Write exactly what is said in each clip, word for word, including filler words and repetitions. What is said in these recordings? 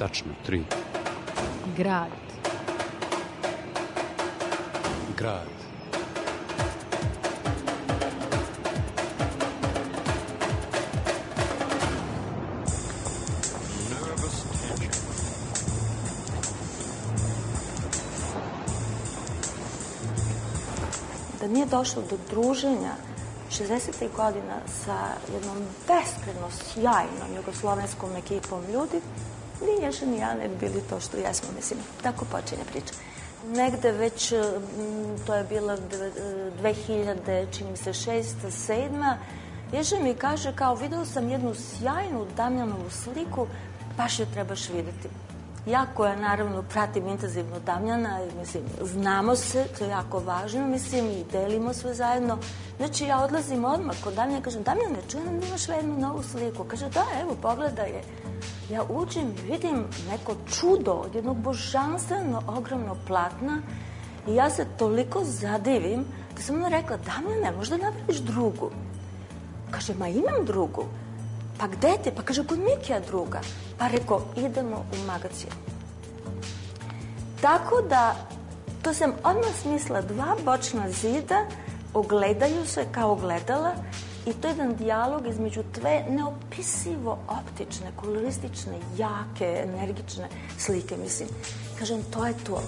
Tačno, tri. Grad. Grad. Da nije došlo do druženja šezdesetih godina sa jednom beskreno sjajnom jugoslovenskom ekipom ljudi, ni Ješa ni ja ne bi bili to što jesmo, mislim, tako počinje priča. Negde već, to je bila dve hiljade, čini mi se, šesta, sedma, Ješa mi kaže kao, video sam jednu sjajnu Damjanovu sliku, baš je trebaš videti. Ja koja naravno pratim intenzivno Damjana, mislim, znamo se, to je jako važno, mislim, i delimo sve zajedno. Znači, ja odlazim odmah kod Damjana i kažem, Damjane, čujem da imaš jednu novu sliku. Kaže, da, evo, pogledaj je. Ja uđem i vidim neko čudo od jednog božanstveno ogromnog platna i ja se toliko zadivim da sam ona rekla, Damjane, možda napraviš drugu? Kaže, ma imam drugu. Pa gde te? Pa kaže, kod Mikija druga. Pa rekao, idemo u magazin. Tako da, to sam odmah smislila, dva bočna zida ogledaju se kao ogledala i to je jedan dijalog između dve neopisivo optične, koloristične, jake, energične slike, mislim. Kažem, to je to.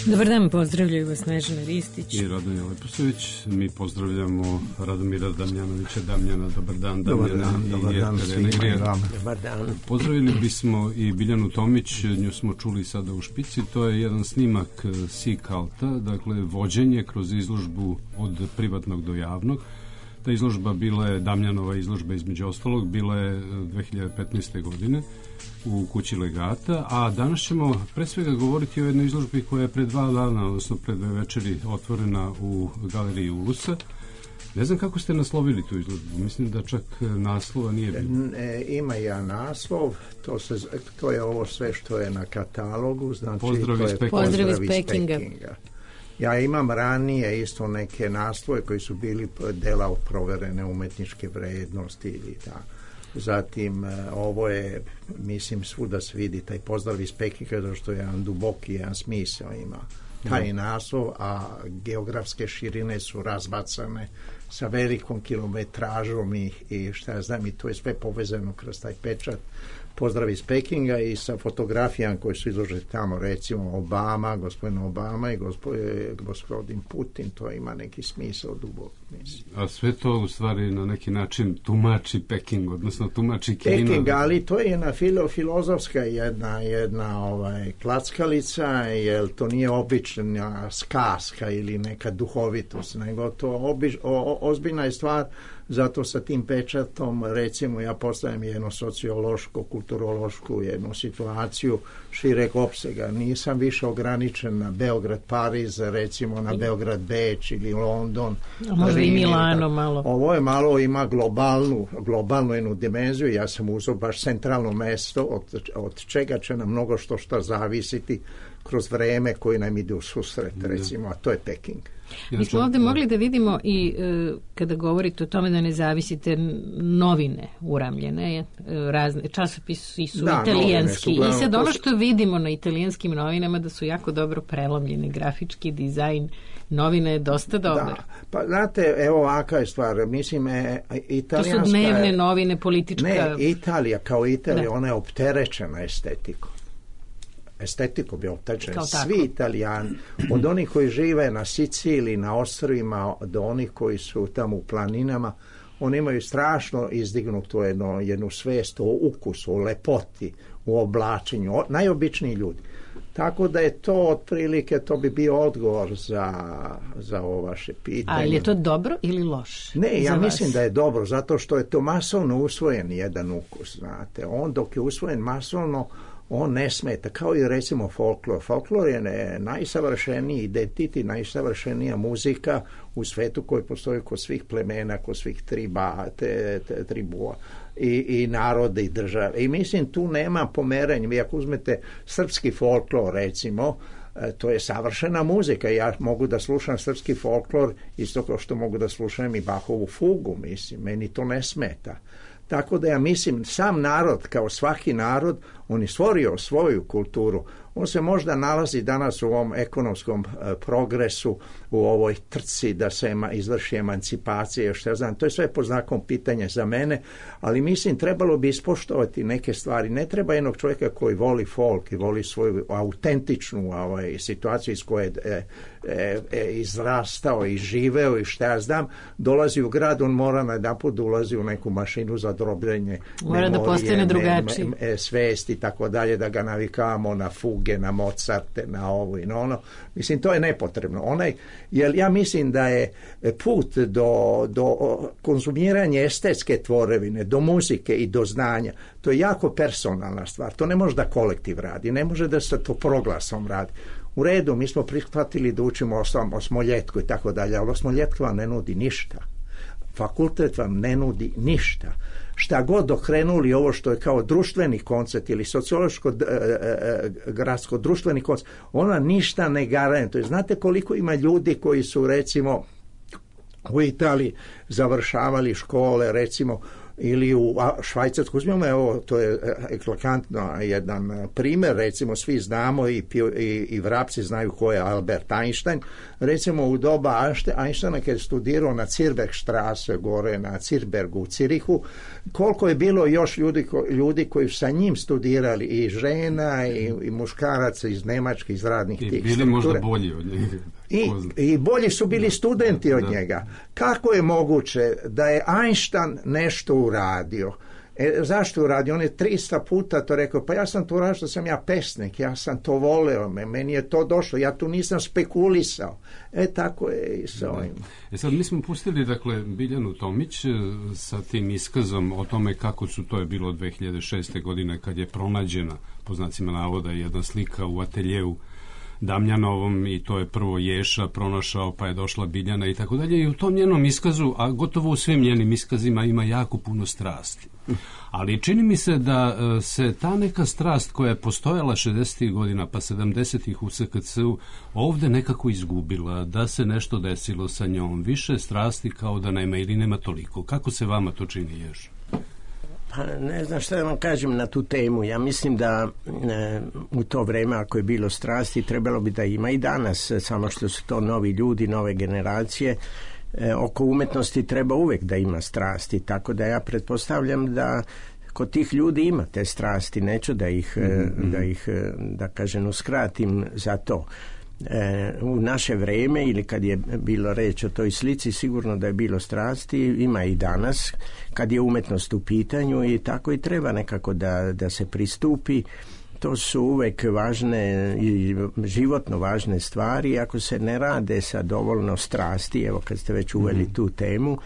Dobar dan, pozdravljaju vas Snežana Ristić i Radomir Leposović. Mi pozdravljamo Radomira Damjanovića. Damjana, dobar dan. Dobar Damjana dan, i dobar dan svima. Dobar dan. Pozdravili bismo i Biljanu Tomić, nju smo čuli sada u špici. To je jedan snimak Sea Culta, dakle vođenje kroz izložbu od privatnog do javnog. Ta izložba bila je Damjanova izložba između ostalog, bila je dve hiljade petnaeste. godine u kući Legata, a danas ćemo pre svega govoriti o jednoj izložbi koja je pre dva dana, odnosno pre dve večeri otvorena u galeriji Ulusa. Ne znam kako ste naslovili tu izložbu, mislim da čak naslova nije bilo. E, ima ja naslov, to, se, to je ovo sve što je na katalogu, znači Pozdrav to iz je Pekinga. Pozdrav iz Pekinga. Pekinga. Ja imam ranije isto neke naslove koji su bili dela proverene umetničke vrednosti ili tako. Zatim, ovo je, mislim, svuda se vidi taj pozdrav iz Pekinga, zato što je jedan duboki, jedan smisao ima taj naslov, a geografske širine su razbacane sa velikom kilometražom i, i šta ja znam, i to je sve povezano kroz taj pečat. Pozdrav iz Pekinga i sa fotografijama koje su izložene tamo, recimo Obama, gospodin Obama i gospodin, gospodin Putin, to ima neki smisao dubok. Mislim. A sve to u stvari na neki način tumači Peking, odnosno tumači Kina. Peking, ali to je jedna filo, filozofska jedna, jedna ovaj, klackalica, jer to nije obična skaska ili neka duhovitost, nego to obič, o, o, ozbiljna je stvar. Zato sa tim pečatom, recimo, ja postavljam jednu sociološku, kulturološku jednu situaciju šireg opsega. Nisam više ograničen na Beograd, Pariz, recimo na Beograd, Beč ili London. A možda i Milano malo. Ovo je malo, ima globalnu, globalnu jednu dimenziju. Ja sam uzeo baš centralno mesto od, od čega će nam mnogo što što zavisiti kroz vreme koji nam ide u susret, recimo, a to je Peking. Mi smo ovde mogli da vidimo i e, kada govorite o tome da ne zavisite novine uramljene, e, razne, časopisi su da, italijanski su, i sad ono što vidimo na italijanskim novinama da su jako dobro prelomljeni, grafički dizajn novine je dosta dobar. Da, pa znate, evo ovaka je stvar, mislim, e, italijanska... To su dnevne novine, politička... Ne, Italija kao Italija, da. Ona je opterećena estetikom. Estetiku bi opterećeni svi Italijani, od onih koji žive na Siciliji, na ostrvima, do onih koji su tamo u planinama, oni imaju strašno izdignutu jednu, jednu svest o ukusu, o lepoti, u oblačenju, o, najobičniji ljudi. Tako da je to otprilike, to bi bio odgovor za, za ovo vaše pitanje. Ali je to dobro ili loše? Ne, ja mislim da je dobro, zato što je to masovno usvojen jedan ukus, znate. On dok je usvojen masovno, on ne smeta, kao i recimo folklor. Folklor je ne, najsavršeniji identitet, najsavršenija muzika u svetu koji postoji kod svih plemena, kod svih triba, te, te, tribua i, i narode i države. I mislim tu nema pomerenja. Vi ako uzmete srpski folklor recimo, to je savršena muzika. Ja mogu da slušam srpski folklor isto kao što mogu da slušam i Bachovu fugu, mislim. Meni to ne smeta. Tako da ja mislim, sam narod, kao svaki narod, on je stvorio svoju kulturu. On se možda nalazi danas u ovom ekonomskom e, progresu, u ovoj trci da se ema, izvrši emancipacija, što ja znam, to je sve pod znakom pitanja za mene, ali mislim trebalo bi ispoštovati neke stvari. Ne treba jednog čovjeka koji voli folk i voli svoju autentičnu ovaj, situaciju iz koje je e, e, izrastao i živeo i što ja znam, dolazi u grad, on mora na jedan put ulazi u neku mašinu za drobljenje, mora da postane drugačiji, e, svesti i tako dalje, da ga navikavamo na fuge, na Mozarte, na ovo i na ono. Mislim, to je nepotrebno. Onaj, jer ja mislim da je put do, do konzumiranja estetske tvorevine, do muzike i do znanja, to je jako personalna stvar. To ne može da kolektiv radi, ne može da se to proglasom radi. U redu, mi smo prihvatili da učimo o Smoljetku i tako dalje, ali Smoljetka vam ne nudi ništa. Fakultet vam ne nudi ništa. Šta god okrenuli ovo što je kao društveni koncept ili sociološko e, e, gradsko društveni koncept, ona ništa ne garantuje. Znate koliko ima ljudi koji su recimo u Italiji završavali škole recimo ili u Švajcarsku, uzmimo evo, to je eklatantno jedan primjer, recimo svi znamo i, i, i vrapci znaju ko je Albert Einstein, recimo u doba Einsteina kad je studirao na Zirbergstrasse gore na Zirbergu u Cirihu, koliko je bilo još ljudi, ljudi koji su sa njim studirali i žena i, i muškaraca iz Nemačke, iz radnih i tih bili struktura. Možda bolji od njega. I, I bolji su bili studenti od da. njega. Kako je moguće da je Einstein nešto uradio? E, zašto uradio? On je tristo puta to rekao, pa ja sam to uradio što sam ja pesnik, ja sam to voleo, meni je to došlo, ja tu nisam spekulisao. E, tako je i sa ovim. E sad, mi smo pustili, dakle, Biljanu Tomić sa tim iskazom o tome kako su, to je bilo dve hiljade šeste. godine, kad je pronađena, po znacima navoda, jedna slika u ateljeu Damjanovom i to je prvo Ješa pronašao, pa je došla Biljana i tako dalje. I u tom njenom iskazu, a gotovo u svim njenim iskazima ima jako puno strasti. Ali čini mi se da se ta neka strast koja je postojala šezdesetih godina pa sedamdesetih u S K C-u ovde nekako izgubila, da se nešto desilo sa njom. Više strasti kao da nema ili nema toliko. Kako se vama to čini, Ješa? Pa ne znam šta da vam kažem na tu temu. Ja mislim da e, u to vreme ako je bilo strasti trebalo bi da ima i danas, samo što su to novi ljudi, nove generacije. E, oko umetnosti treba uvek da ima strasti, tako da ja pretpostavljam da kod tih ljudi ima te strasti, neću da ih, mm-hmm. da ih da kažem uskratim za to. E, u naše vreme ili kad je bilo reč o toj slici sigurno da je bilo strasti, ima i danas kad je umetnost u pitanju i tako i treba nekako da, da se pristupi. To su uvek važne i životno važne stvari. Ako se ne rade sa dovoljno strasti, evo kad ste već uveli mm-hmm. tu temu,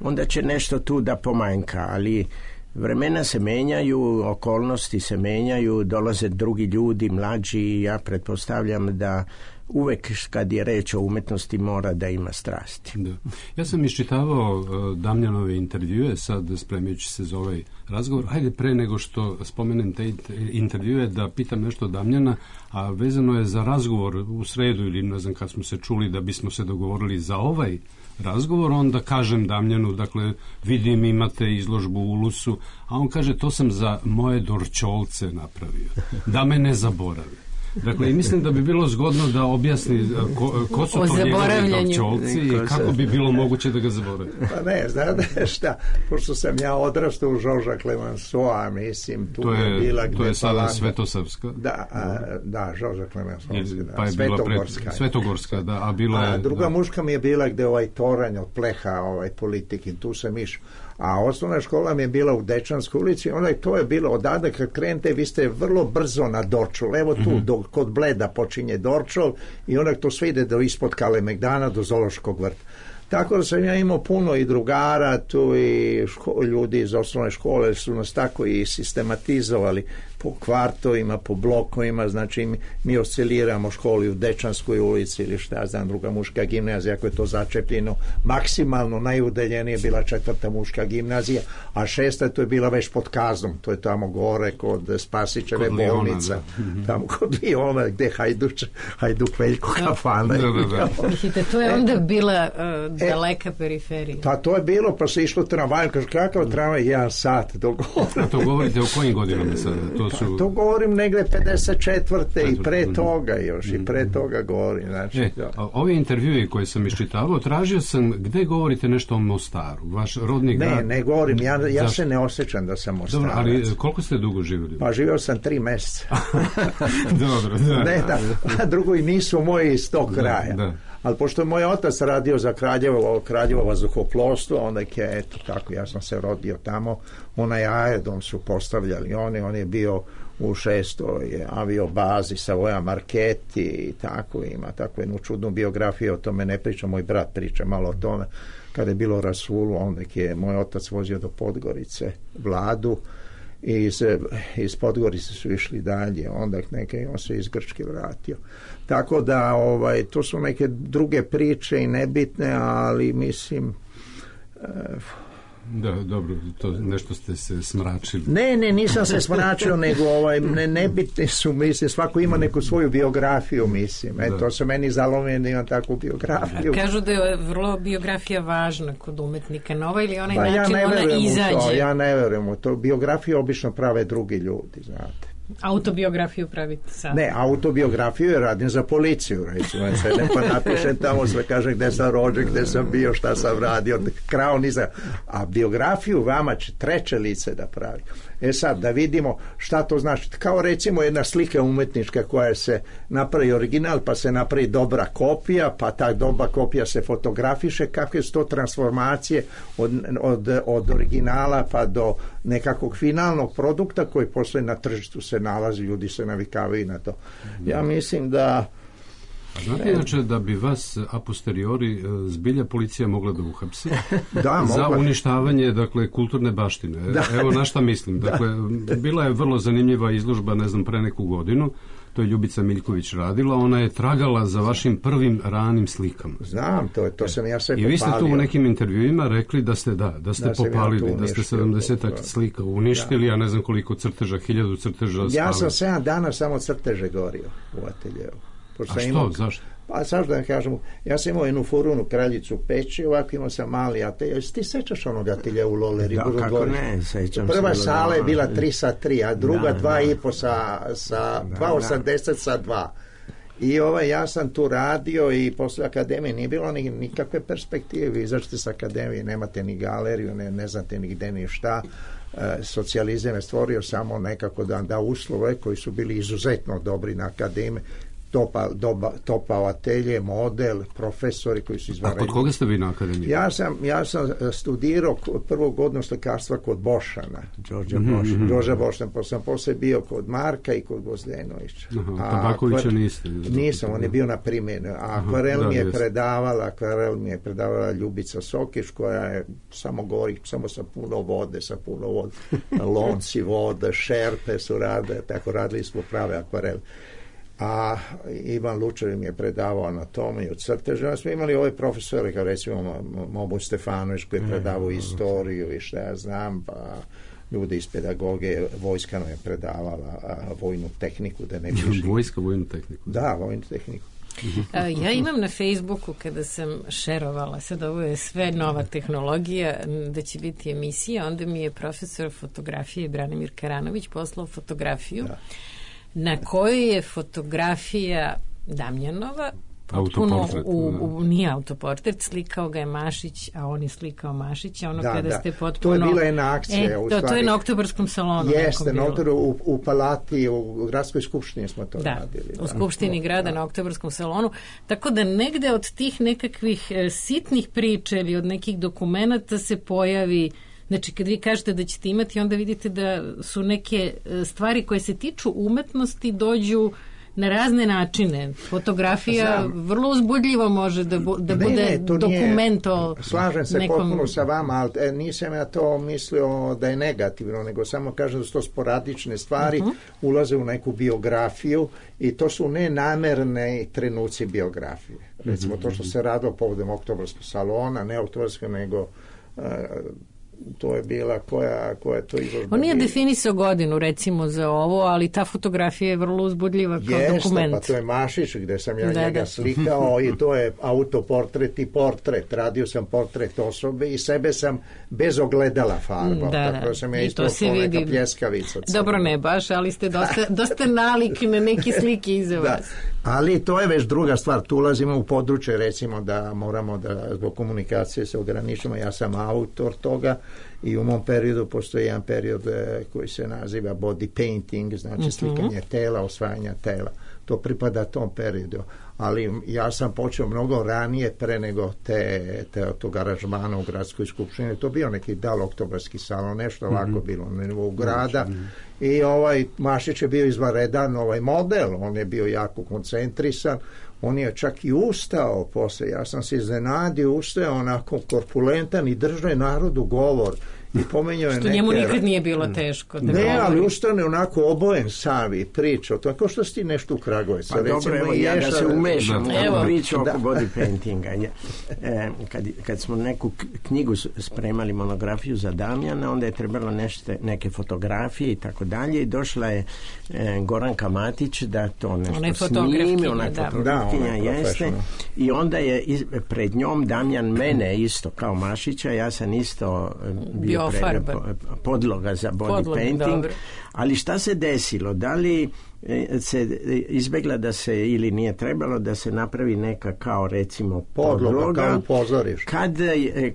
onda će nešto tu da pomanjka, ali vremena se menjaju, okolnosti se menjaju, dolaze drugi ljudi, mlađi, ja pretpostavljam da uvek kad je reč o umetnosti mora da ima strasti. Da. Ja sam iščitavao uh, Damjanove intervjue, sad spremajući se za ovaj razgovor. Hajde pre nego što spomenem te intervjue da pitam nešto Damjana, a vezano je za razgovor u sredu ili ne znam kad smo se čuli da bismo se dogovorili za ovaj razgovor, onda kažem Damjanu, dakle, vidim imate izložbu u Ulusu, a on kaže to sam za moje Dorčolce napravio, da me ne zaboravi. Dakle, i mislim da bi bilo zgodno da objasni ko, ko su to njegovi Dorčolci i kako bi bilo moguće da ga zaboravi. Pa ne, znate šta, pošto sam ja odrastao u Žorža Clemenceau, mislim, tu to je, je bila gde to je sada Palanda. Svetosavska. Da, a, da, Žorža Clemenceau, da, pa je Svetogorska. Pred, Svetogorska, da, a bila je... A druga da. muška mi je bila gde ovaj toranj od pleha, ovaj politikin, tu sam išao. A osnovna škola mi je bila u Dečanskoj ulici, onda to je bilo odavde kad krenete, vi ste vrlo brzo na Dorčol, evo tu, mm-hmm. do, kod Bleda počinje Dorčol i onda to sve ide do ispod Kalemegdana, do Zoološkog vrta. Tako da sam ja imao puno i drugara tu i ško, ljudi iz osnovne škole su nas tako i sistematizovali po kvartovima, po blokovima, znači mi, mi osciliramo školi u Dečanskoj ulici ili šta znam, druga muška gimnazija, ako je to začepljeno, maksimalno najudaljenije je bila četvrta muška gimnazija, a šesta to je bila već pod Kaznom, to je tamo gore kod Spasićeve kod bolnica, Liona, tamo kod Liona gde Hajduč, Hajduk Veljko kafana. To je onda bila uh, e, daleka periferija. Pa to je bilo, pa se išlo tramvaj, kaže kakav tramvaj, jedan sat do gore. A to govorite o kojim godinama sada? To, su... pa, to govorim negde pedeset četvrte i pre toga još, mm-hmm. i pre toga govorim. Znači, e, ovi intervjui koje sam iščitavao, tražio sam gde govorite nešto o Mostaru, vaš rodni grad. Ne, ne govorim, ja, ja se ne osjećam da sam Mostarac. Dobro, ali koliko ste dugo živjeli? Pa živio sam tri meseca. Dobro, da. Ne, da, a drugo i nisu moji iz tog kraja. Da, da. Ali pošto je moj otac radio za Kraljevo, Kraljevo vazduhoplovstvo, onda je, eto tako, ja sam se rodio tamo, onaj aerodrom su postavljali oni, on je bio u šestoj aviobazi Savoia Marchetti i tako, ima takvu jednu čudnu biografiju, o tome ne priča, moj brat priča malo o tome, kada je bilo Rasulu, onda je moj otac vozio do Podgorice Vladu, i iz, iz Podgorice su išli dalje, onda neke, on se iz Grčke vratio. Tako da ovaj, to su neke druge priče i nebitne, ali mislim... Eh, Da, dobro, to nešto ste se smračili. Ne, ne, nisam se smračio, nego ovaj, ne, nebitni su, mislim, svako ima neku svoju biografiju, mislim. E, to se meni zalomio da imam takvu biografiju. Kažu da je vrlo biografija važna kod umetnika, nova ili onaj pa način ja ona izađe. To, ja ne verujem u to. Biografiju obično prave drugi ljudi, znate. Autobiografiju pravite sad? Ne, autobiografiju je radim za policiju, recimo. Sedem pa napišem tamo, sve kažem gde sam rođen, gde sam bio, šta sam radio, krao nisam. A biografiju vama će treće lice da pravi. E sad, da vidimo šta to znači. Kao recimo jedna slika umetnička koja se napravi original, pa se napravi dobra kopija, pa ta dobra kopija se fotografiše, kakve su to transformacije od, od, od originala pa do nekakvog finalnog produkta koji posle na tržištu se nalazi, ljudi se navikavaju na to. Ja mislim da... A znate inače da bi vas a posteriori zbilja policija mogla da uhapsi da, za mogla. uništavanje, dakle, kulturne baštine. Da. Evo na šta mislim. Dakle, da. Bila je vrlo zanimljiva izložba, ne znam, pre neku godinu. To je Ljubica Miljković radila. Ona je tragala za vašim prvim ranim slikama. Znam, to, to sam ja sve popalio. I vi ste tu u nekim intervjuima rekli da ste, da, da ste da popalili, ja da ste sedamdesetak slika uništili, ja ne znam koliko crteža, hiljadu crteža spali. Ja sam sedam dana samo crteže gorio u ateljevu. A što, imao, zašto? Pa zašto da kažem, ja sam imao jednu furunu kraljicu peći, ovako imao sam mali atelje. Ti sećaš onog atelje u Loleri? Da, kako ne, sećam se. Prva sala je bila tri sa tri, a druga dva i po sa, sa dva osamdeset sa dva. I ovaj, ja sam tu radio i posle akademije nije bilo ni, nikakve perspektive. Vi izađete s akademije, nemate ni galeriju, ne, ne znate ni gde ni šta. E, socijalizam je stvorio samo nekako da da uslove koji su bili izuzetno dobri na akademiji. Topa, doba, topao atelje, model, profesori koji su izvanredni. A kod koga ste vi na akademiji? Ja sam, ja sam studirao prvu godinu slikarstva kod Bošana. Đorđa mm-hmm. Bošana. Đorđa Bošana, pa sam posle bio kod Marka i kod Gozdenovića. Aha, Tabakovića niste? Nisam, on je bio na primjenu. A akvarel mi je jest. predavala, akvarel mi je predavala Ljubica Sokić, koja je samo govori, samo sa puno vode, sa puno vode. Lonci vode, šerpe su rade, tako radili smo prave akvarele. A Ivan Lučar mi je predavao anatomiju, crtež. Ja smo imali ove profesore, kao recimo Mobu Stefanović koji je predavao istoriju i šta ja znam, pa ljude iz pedagoge, vojska nam je predavala a, vojnu tehniku. Da ne piše. Vojska, vojnu tehniku. Da, vojnu tehniku. Ja imam na Facebooku kada sam šerovala, sad ovo je sve nova tehnologija, da će biti emisija, onda mi je profesor fotografije Branimir Karanović poslao fotografiju da. Na kojoj je fotografija Damjanova potpuno u, u, nije autoportret, slikao ga je Mašić, a on je slikao Mašića, ono da, kada da. Ste potpuno... To je bila jedna akcija. E, u to, to je na Oktobarskom salonu. Jeste, na Oktobaru, u, u Palati, u Gradskoj skupštini smo to da, radili. Da, u Skupštini grada da. Na Oktobarskom salonu. Tako da negde od tih nekakvih e, sitnih priča ili od nekih dokumenata se pojavi. Znači, kad vi kažete da ćete imati, onda vidite da su neke stvari koje se tiču umetnosti dođu na razne načine. Fotografija Znam. vrlo uzbudljivo može da, bu, da ne, bude ne, dokument o slažem se nekom... potpuno sa vama, ali e, nisam ja to mislio da je negativno, nego samo kažem da su to sporadične stvari, uh-huh. ulaze u neku biografiju i to su nenamerne trenuci biografije. Recimo, uh-huh. to što se radilo povodom Oktobarskog salona, ne Oktobarskog, nego uh, to je bila koja, koja to izložba. On nije definisao godinu recimo za ovo, ali ta fotografija je vrlo uzbudljiva kao Jeste, dokument. Pa to je Mašić gde sam ja da, njega da. slikao i to je autoportret i portret. Radio sam portret osobe i sebe sam bez ogledala farbao. Da, tako da. sam ja I ispao kao neka pljeskavica. Dobro ne baš, ali ste dosta, dosta nalik na neke slike iza da. vas. Ali to je već druga stvar. Tu ulazimo u područje, recimo da moramo da zbog komunikacije se ograničimo. Ja sam autor toga i u mom periodu postoji jedan period koji se naziva body painting, znači mm-hmm. slikanje tela, osvajanja tela. To pripada tom periodu. Ali ja sam počeo mnogo ranije pre nego te, te tog aranžmana u gradskoj skupštini. To bio neki dal oktobarski salon, nešto ovako mm-hmm. bilo na nivou grada. Mm-hmm. I ovaj Mašić je bio izvanredan ovaj model, on je bio jako koncentrisan, on je čak i ustao posle, ja sam se iznenadio, ustao onako korpulentan i držao narodu govor i pomenjao je što neke... njemu nikad nije bilo teško. Da ne, govori. ali ustane onako obojen sam i pričao, tako što si ti nešto u Kragujevcu. Pa dobro, evo, ja da se umešam u evo. priču oko body paintinga. E, kad, kad smo neku knjigu spremali, monografiju za Damjana, onda je trebalo nešto, neke fotografije i tako dalje i došla je e, Goranka Matić da to nešto snimi, ona je fotografkinja, jeste, i onda je iz, pred njom Damjan mene isto kao Mašića, ja sam isto bio Pre, podloga za body Podlog, painting, dobro. Ali šta se desilo? Da li se izbegla da se ili nije trebalo da se napravi neka kao recimo podloga, podloga kao pozoriš. Kad,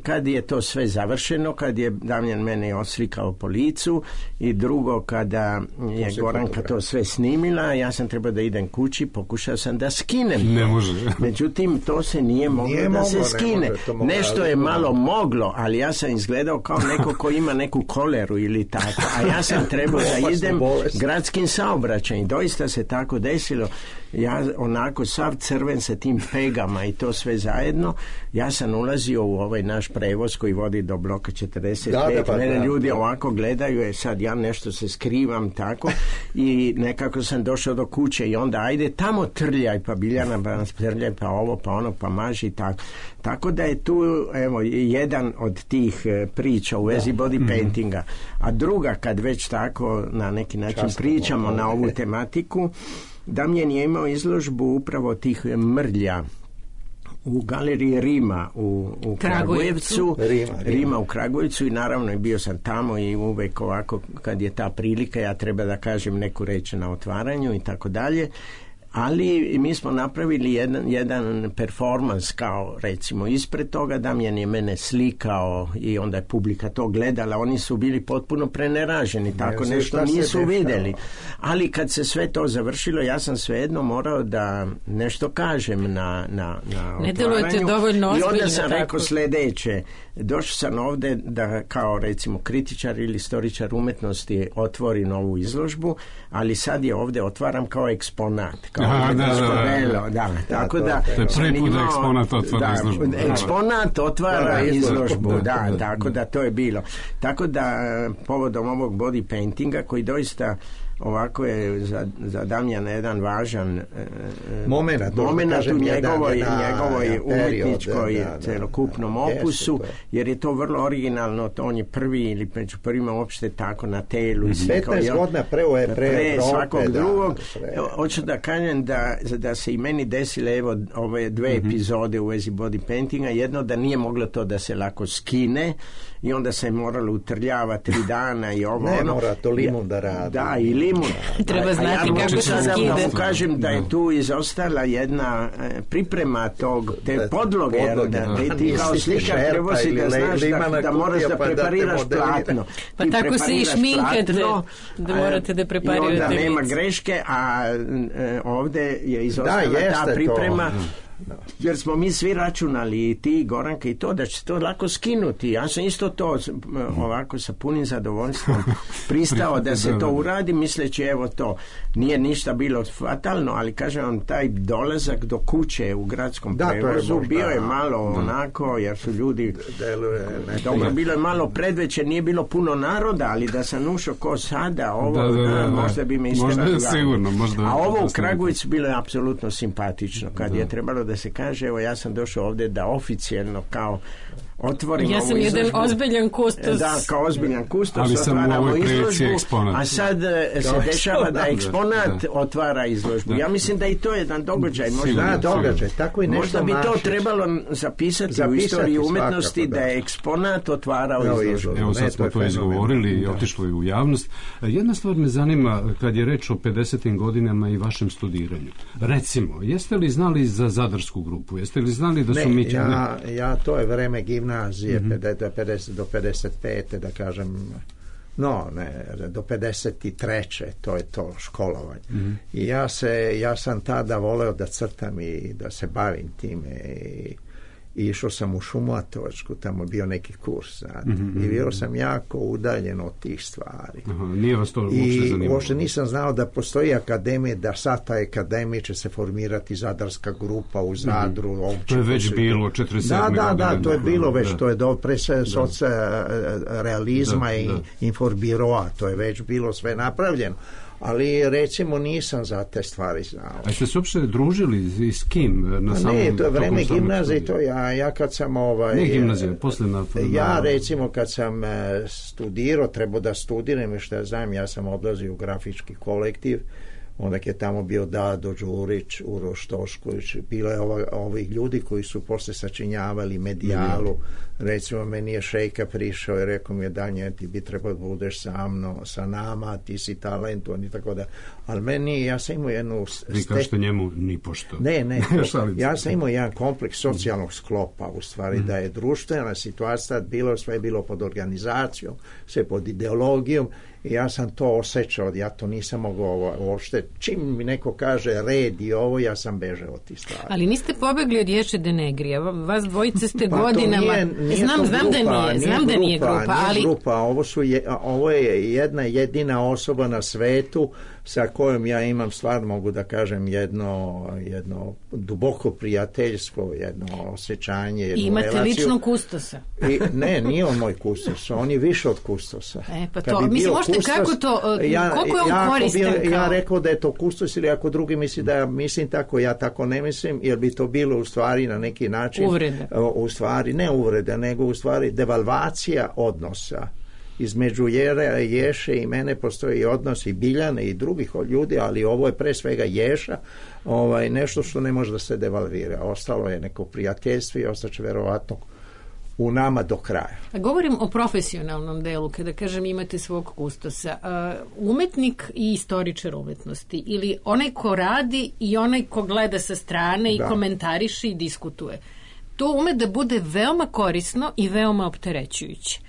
kad je to sve završeno, kad je Damjan mene oslikao po licu i drugo kada je Goranka to sve snimila, ja sam trebao da idem kući, pokušao sam da skinem. Ne može. Međutim, to se nije moglo nije da moglo, se skine. Može, nešto je malo moglo, ali ja sam izgledao kao neko ko ima neku koleru ili tako, a ja sam trebao da idem gradskim saobraćajem. Doista se tako desilo. Ja onako sav crven sa tim pegama i to sve zajedno, ja sam ulazio u ovaj naš prevoz koji vodi do bloka četrdeset pet. Da, da, pa, mene da, ljudi da. ovako gledaju, je sad ja nešto se skrivam tako i nekako sam došao do kuće i onda ajde tamo trljaj, pa Biljana pa nas trljaj, pa ovo, pa ono, pa maži tako. Tako da je tu evo jedan od tih priča u vezi da. body paintinga. A druga, kad već tako na neki način Často, pričamo ovo, na ovu tematiku, Damjan je imao izložbu upravo tih mrlja u galeriji Rima u, u Kragujevcu, Rima, Rima. Rima u Kragujevcu i naravno i bio sam tamo i uvek ovako kad je ta prilika ja treba da kažem neku reč na otvaranju i tako dalje. Ali mi smo napravili jedan, jedan performans kao recimo ispred toga, Damjan je mene slikao i onda je publika to gledala, oni su bili potpuno preneraženi, tako ne, nešto nisu vidjeli. Ali kad se sve to završilo, ja sam svejedno morao da nešto kažem na, na, na ne delujete dovoljno ozbiljno. I onda sam tako. rekao sljedeće, došao sam ovde da kao recimo kritičar ili istoričar umetnosti otvori novu izložbu, ali sad je ovde otvaram kao eksponat, kao Aha, da, da, da, da, tako da to je prvi put da eksponat otvara da, izložbu. Eksponat otvara izložbu, da, da, da, tako da to je bilo. Tako da povodom ovog body paintinga koji doista ovako je za, za Damjana jedan važan moment, moment u njegovoj, njegovoj umetničkoj celokupnom opusu, jer je to vrlo originalno, to on je prvi ili među prvima uopšte tako na telu. petnaest godina pre, pre, pre svakog da, drugog. Pre. Hoću da kažem da, da se i meni desile evo ove dve mm-hmm. epizode u vezi body paintinga, jedno da nije moglo to da se lako skine i onda se je moralo utrljavati tri dana i ovo ne ono. Mora to limun da radi. Da, i limun. Treba znati ja kako se skide. Da mu kažem da je tu izostala jedna priprema tog, te podloge, podloge da, da ti kao slikar treba si da znaš da, da moraš da prepariraš platno. Pa ti tako se i šminkate da morate da preparirate. I onda nema greške, a e, ovde je izostala da, ta priprema. To. No. Jer smo mi svi računali i ti Goranka i to da će se to lako skinuti. Ja sam isto to ovako sa punim zadovoljstvom pristao da se to uradi misleći evo to nije ništa bilo fatalno, ali kažem vam taj dolazak do kuće u gradskom da, prevozu je bio je malo da. onako jer su ljudi deluje, dobro bilo je malo predveće, nije bilo puno naroda, ali da sam ušao ko sada ovo da, da, da, da. možda bi me isterali. Sigurno, možda, a ovo u Kragujevcu bilo je apsolutno simpatično kad da. je trebalo da se kaže evo ja sam došao ovdje da oficijelno kao otvorimo ja sam jedan ozbiljan kustos. Da, kao ozbiljan kustos. Ali sam u ovoj prilici eksponat. A sad se dešava da eksponat da. otvara izložbu. Da. Ja mislim da i to je jedan događaj. Možda, da, događaj. Tako i nešto možda bi to trebalo zapisati, zapisati u istoriji umetnosti svakako, da. da je eksponat otvarao no, izložbu. Evo sad smo to izgovorili i otišlo je u javnost. Jedna stvar me zanima kad je reč o pedesetim godinama i vašem studiranju. Recimo, jeste li znali za Zadarsku grupu? Jeste li znali da su ne, Mićani... Ja, ja, to je vreme gimnazije, mm-hmm. pedeset do pedeset pete da kažem, no, ne, do pedeset treće to je to školovanje. Mm-hmm. I ja, se, ja sam tada voleo da crtam i da se bavim time i i išao sam u Šumovačku, tamo je bio neki kurs, znate, mm-hmm. i bio sam jako udaljen od tih stvari. Aha, nije vas to uopšte zanimalo? I uopšte nisam znao da postoji akademija, da sad ta akademija će se formirati Zadarska grupa u Zadru. Mm-hmm. To je već bilo četrdeset sedme Da, da, da, to je bilo već, da. to je do pre sve soca realizma da, i da. informbiroa, to je već bilo sve napravljeno. Ali recimo nisam za te stvari znao. A ste se uopšte družili i s kim? Na samom, ne, to je vreme gimnazije, to ja, ja kad sam ovaj... Ne gimnazija, posle na... Ja recimo kad sam studirao, trebao da studiram i što ja znam, ja sam odlazio u grafički kolektiv, onda je tamo bio Dado Đurić, Uroš Tošković, bilo je ova, ovih ljudi koji su posle sačinjavali Medijalu. Mm. Recimo, meni je Šejka prišao i rekao mi je, Danje, ti bi trebao da budeš sa mnom, sa nama, ti si talentovan i tako da. Ali meni, ja sam imao jednu... Vi ste... kažete njemu ni pošto. Ne, ne, ja sam imao jedan kompleks socijalnog sklopa, u stvari, mm. da je društvena situacija bilo, sve bilo pod organizacijom, sve pod ideologijom. I ja sam to osjećao, ja to nisam mogao uopšte. Čim mi neko kaže red i ovo, ja sam bežao od tih stvari. Ali niste pobegli od Ješe Denegrija. Vas dvojice ste pa godinama... Nije, nije znam, znam grupa, da nije, znam nije da nije grupa, grupa, ali... Nije grupa, ovo, su je, ovo je jedna jedina osoba na svetu sa kojom ja imam stvar, mogu da kažem, jedno, jedno duboko prijateljstvo, jedno osjećanje, jednu imate relaciju. Ličnog kustosa? I, ne, nije on moj kustos, on je više od kustosa. E, pa to, mislim, možete kustos, kako to, ja, koliko je on ja, koristan? Ja, kao... ja rekao da je to kustos ili ako drugi misli da ja mislim tako, ja tako ne mislim, jer bi to bilo u stvari na neki način... Uvrede. U stvari, ne uvrede, nego u stvari devalvacija odnosa. Između Jere, Ješe i mene postoji odnos i Biljane i drugih ljudi, ali ovo je pre svega Ješa, ovaj, nešto što ne može da se devalvira. Ostalo je neko prijateljstvo i ostaće verovatno u nama do kraja. Govorim o profesionalnom delu, kada kažem imate svog kustosa. Uh, umetnik i istoričar umetnosti, ili onaj ko radi i onaj ko gleda sa strane i da. komentariše i diskutuje. To ume da bude veoma korisno i veoma opterećujuće.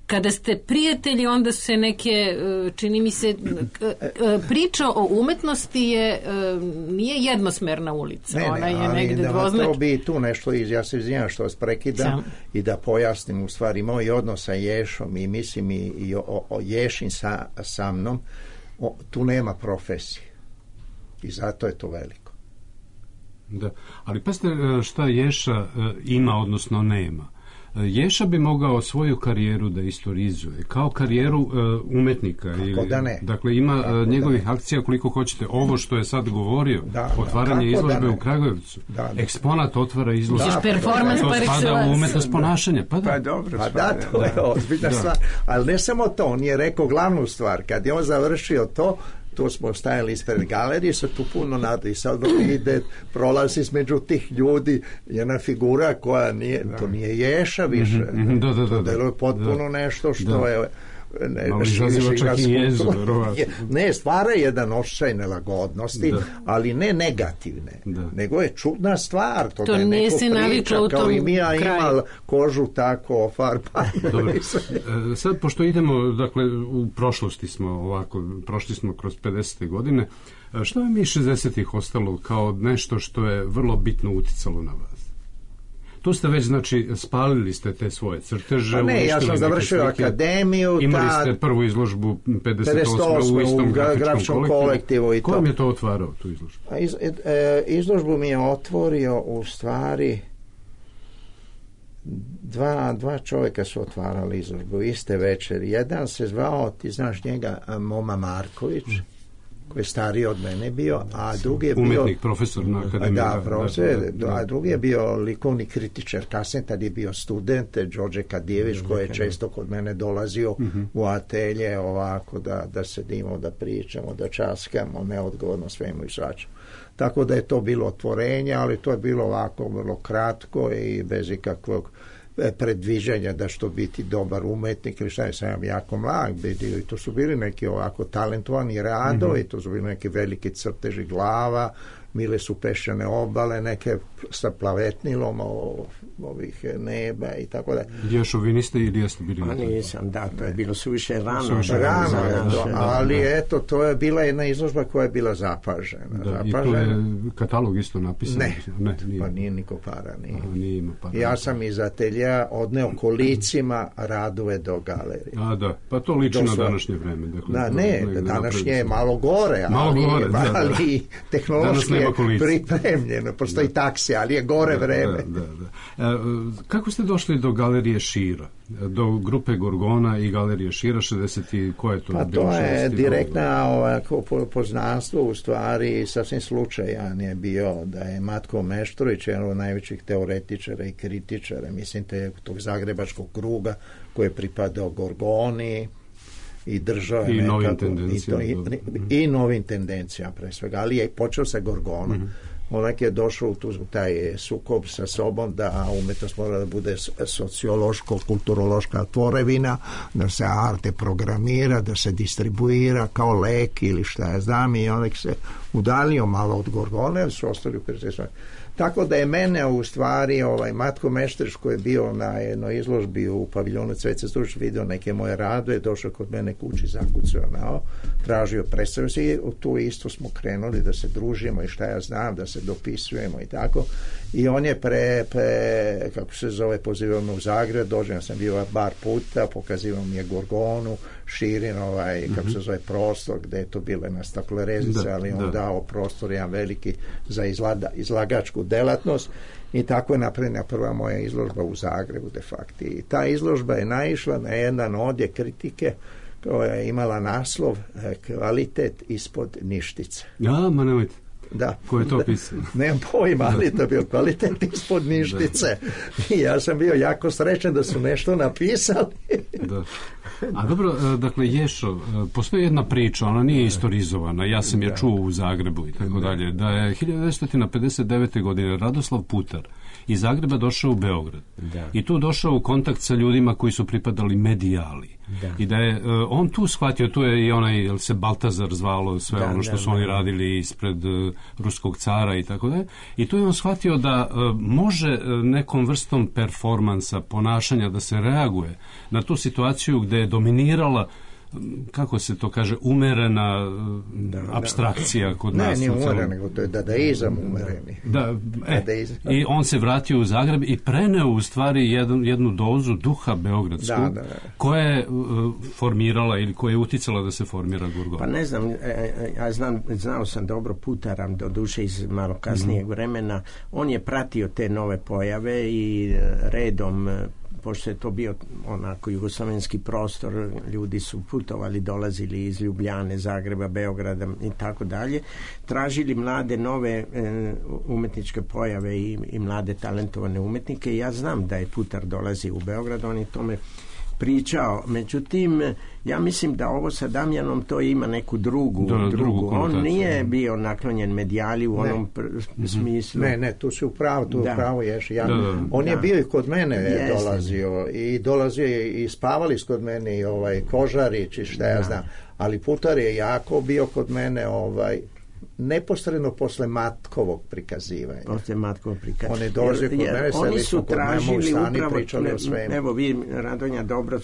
Kada ste prijatelji, onda se neke, čini mi se, priča o umetnosti je, nije jednosmerna ulica. Ne, ne, ona je ali negde da dvoznač... to bi tu nešto, iz, ja se izvinjam što vas prekidam Sam. i da pojasnim u stvari moj odnos sa Ješom i mislim i, i o, o Ješin sa, sa mnom, o, tu nema profesije i zato je to veliko. Da, ali pazite šta Ješa ima, odnosno nema. Ješa bi mogao svoju karijeru da istorizuje kao karijeru uh, umetnika. Kako ili, da ne? Dakle, ima Kako njegovih da akcija koliko hoćete. Ovo što je sad govorio, da, otvaranje da, izložbe da u Kragujevcu. Da, da. Eksponat otvara izložbe. Da, performans to par spada u umetnost da. ponašanja. Pa da, pa dobro, pa da, to je ozbiljna stvar. Ali ne samo to, on je rekao glavnu stvar. Kad je on završio to, tu smo stajali ispred galerije, se tu puno nada i sad ide, prolazi između tih ljudi jedna figura koja nije, da. to nije Ješa više. Mm-hmm, da, da, da, to deluje potpuno da, nešto što da. je ne, malo izaziva čak i jezu, ne, stvara jedan osjećaj nelagodnosti, da. ali ne negativne, da. nego je čudna stvar, to, to da je neko priča, u kao i mi ja imala kožu tako ofarpanu. Sad, pošto idemo, dakle, u prošlosti smo ovako, prošli smo kroz pedesete godine, što je mi šezdesetih ostalo kao nešto što je vrlo bitno uticalo na vas? Tu ste već, znači, spalili ste te svoje crteže. Pa ne, ja sam završio akademiju. Imali ste prvu izložbu pedeset osme u istom grafičkom kolektivu. I to. Ko vam je to otvarao, tu izložbu? Iz, e, izložbu mi je otvorio u stvari dva, dva čovjeka su otvarali izložbu iste večeri. Jedan se zvao, ti znaš njega, Moma Marković. koji je stariji od mene bio, a drugi je bio... Umetnik, profesor na akademiji. Da, profesor, da, a drugi je bio likovni kritičar, kasnije tad je bio student, Đorđe Kadijević, koji je često kod mene dolazio uh-huh. u atelje ovako da, da sedimo, da pričamo, da časkamo, neodgovorno svemu i svačemu. Tako da je to bilo otvorenje, ali to je bilo ovako vrlo kratko i bez ikakvog predviđanja da što biti dobar umetnik ili šta je, sam jako mlad bio i to su bili neki ovako talentovani radovi, mm-hmm. to su bili neki veliki crteži glava, mile su peščane obale, neke sa plavetnilom o, ovih neba i tako da. Ješo, vi niste ili jeste bili? Pa nisam, da, to je bilo suviše rano. Suviše rano, za rano to, ali da. Eto, to je bila jedna izložba koja je bila zapažena. Da, zapažena. I to je katalog isto napisan? Ne, ne nije. Pa nije niko para. Nije. Aha, nije ima para. Ja sam iz atelja odneo kolicima radove do galerije. A da, pa to liči na današnje vreme. Dakle, da, ne, današnje je malo gore, malo ali, gore, da, ali da. tehnološki je pripremljeno, postoji da. taksi, ali je gore vreme. Da, da, da. E, kako ste došli do galerije Šira? Do grupe Gorgona i galerije Šira šezdeset i koje to pa bilo? Pa to je direktna ovako poznanstvo, u stvari sasvim slučajan je bio da je Matko Meštrović, jedan od najvećih teoretičara i kritičara, mislim te tog zagrebačkog kruga koji je pripadao Gorgoni i držao je i nekako, novim tendencijama i, to, i, i novim tendencijama pre svega, ali je počeo sa Gorgonom. Mm-hmm. Onak je došao u tu, taj sukob sa sobom da umetnost mora da bude sociološko-kulturološka tvorevina, da se arte programira, da se distribuira kao lek ili šta ja znam, i onak se udalio malo od Gorgone, ali su ostali u percepciji. Tako da je mene u stvari ovaj Matko Meštrić koji je bio na jednoj izložbi u paviljonu Cveca Stušić, vidio neke moje radove, došao kod mene kući, zakucao nao, tražio, predstavio se i tu isto smo krenuli da se družimo i šta ja znam, da se dopisujemo i tako. I on je pre, pre kako se zove, pozivao me u Zagreb, dođe, ja sam bio bar puta, pokazivao mi je Gorgonu, Širin, ovaj, mm-hmm. kako se zove, prostor, gde je to bilo jedna staklerezica, ali on da. dao prostor jedan veliki za izlada, izlagačku delatnost i tako je napravljena prva moja izložba u Zagrebu de facto. I ta izložba je naišla na jedan odjek kritike koja je imala naslov Kvalitet ispod ništice. Ja, ma nemojte. Da. Ko je to pisao? Nemam pojma, ali to je bio kvalitet ispod ništice. I ja sam bio jako srećan da su nešto napisali. Da. A dobro, dakle, Ješo, postoji jedna priča, ona nije istorizovana, ja sam je čuo u Zagrebu i tako dalje, da je hiljadu devetsto pedeset devete. godine Radoslav Putar iz Zagreba došao u Beograd. Da. I tu došao u kontakt sa ljudima koji su pripadali medijali. Da. I da je uh, on tu shvatio, tu je i onaj, jel se Baltazar zvalo, sve da, ono što da, su oni da. radili ispred uh, ruskog cara i tako dalje. I tu je on shvatio da uh, može uh, nekom vrstom performansa, ponašanja da se reaguje na tu situaciju gde je dominirala, kako se to kaže, umerena da, apstrakcija kod ne, nas. Ne, nije umeren, nego to je dadaizam umereni. Da, e, i on se vratio u Zagreb i preneo u stvari jednu, jednu dozu duha beogradsku, da, da, da. koja je uh, formirala ili koja je uticala da se formira Gorgona. Pa ne znam, ja znam, znao sam dobro Putara, do duše iz malo kasnijeg mm-hmm. vremena, on je pratio te nove pojave i redom, pošto je to bio onako jugoslavenski prostor, ljudi su putovali, dolazili iz Ljubljane, Zagreba, Beograda i tako dalje, tražili mlade nove e, umetničke pojave i, i mlade talentovane umetnike. Ja znam da je Putar dolazi u Beograd, on je tome pričao, međutim ja mislim da ovo sa Damjanom to ima neku drugu, da, drugu, drugu. On nije bio naklonjen medijali u ne. onom pr- smislu. Ne, ne, tu si u pravu, tu da. u pravu ješ. Ja, da, da. On da. je bio i kod mene Jeste. dolazio i dolazio i spavali kod mene i ovaj Kožarić i šta ja da. znam, ali Putar je jako bio kod mene ovaj neposredno posle Matkovog prikazivanja. Posle Matkovog prikazivanja. On je dolazio kod mene, oni su tražili upravo, pričali o svemu. Evo vi, Radonja, dobro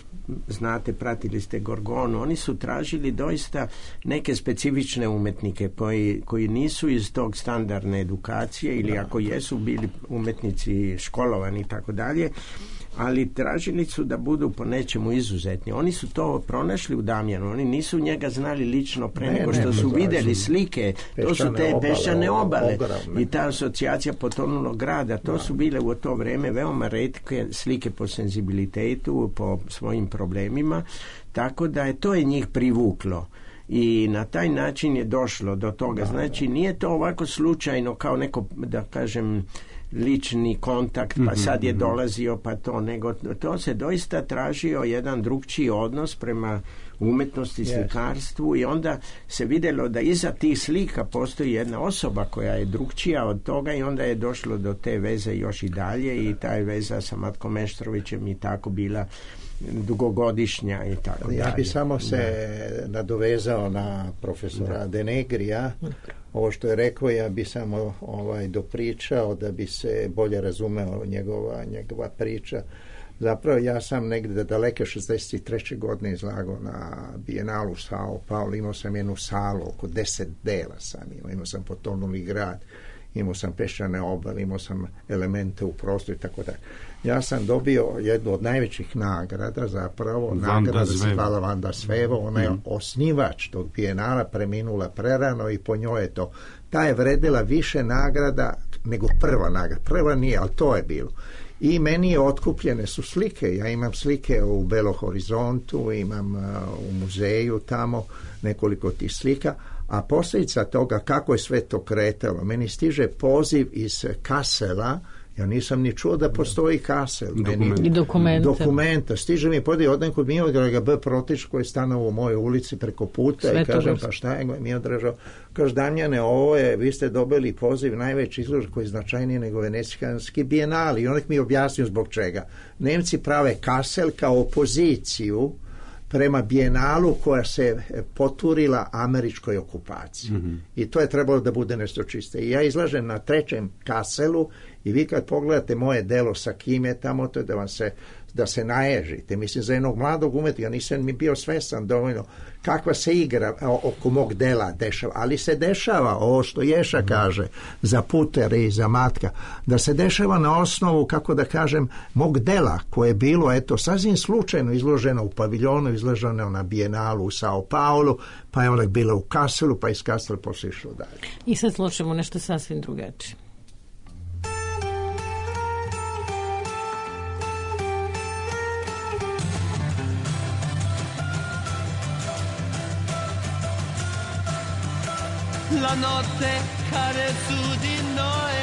znate, pratili ste Gorgonu, oni su tražili doista neke specifične umetnike koji, koji nisu iz tog standardne edukacije ili da. ako jesu bili umetnici školovani i tako dalje, ali tražili su da budu po nečemu izuzetni. Oni su to pronašli u Damjanu, oni nisu njega znali lično pre ne, nego što ne, su ne, vidjeli slike, to su te peščane obale i ta asocijacija potonulog grada, to da. su bile u to vreme veoma retke slike po senzibilitetu, po svojim problemima, tako da je to je njih privuklo. i na taj način je došlo do toga. Znači nije to ovako slučajno kao neko, da kažem, lični kontakt, pa sad je dolazio, pa to, nego to se doista tražio jedan drugčiji odnos prema umetnosti, slikarstvu, i onda se vidjelo da iza tih slika postoji jedna osoba koja je drugčija od toga, i onda je došlo do te veze još i dalje, i ta je veza sa Matkom Meštrovićem i tako bila dugogodišnja i tako dalje. Ja bi samo se da. nadovezao na profesora da. Denegrija. Ovo što je rekao, ja bi samo ovaj, dopričao da bi se bolje razumeo njegova, njegova priča. Zapravo ja sam negdje daleke šezdeset treće godine izlagao na Bijenalu Sao Paulo. Imao sam jednu salu, oko deset dela sam imao. Imao sam Potonuli grad, imao sam peščane obale, imao sam elemente u prostoru i tako dalje. Ja sam dobio jednu od najvećih nagrada, zapravo Vanda nagrada Svevo. se hvala Vanda Svevo. Ona je mm. osnivač tog Bijenala, preminula prerano, i po njoj je to. Ta je vredila više nagrada nego prva nagrada. Prva nije, ali to je bilo. I meni je otkupljene su slike. Ja imam slike u Belo Horizontu, imam uh, u muzeju tamo nekoliko tih slika, a posljedica toga kako je sve to kretalo. Meni stiže poziv iz Kassela. Ja nisam ni čuo da postoji Kassel. I dokumenta. Dokumenta. Stiže mi podiv od nekog Miodraga B. Protić koji je stanovao u mojoj ulici preko puta. Sve i kažem, pa šta je Miodražo? Kaže, Damjane, ovo je, vi ste dobili poziv najveći izložba koji je značajniji nego Venecijanski bijenali. I on mi objasnio zbog čega. Nemci prave Kassel kao opoziciju prema bijenalu koja se poturila američkoj okupaciji. Mm-hmm. I to je trebalo da bude nešto čiste. I ja izlažem na trećem Kasselu, i vi kad pogledate moje delo sa kim je tamo, to je da vam se, da se naježite. Mislim, za jednog mladog umetnika nisam mi bio svestan dovoljno kakva se igra oko mog dela dešava. Ali se dešava, ovo što Ješa kaže, za Putere i za Matka, da se dešava na osnovu, kako da kažem, mog dela koje je bilo, eto, sasvim slučajno izloženo u paviljonu, izloženo na Bijenalu u Sao Paulo, pa je onda bilo u Kasselu, pa iz Kassela posle išlo dalje. I sad slušamo nešto sasvim drugačije. La notte cade su di noi,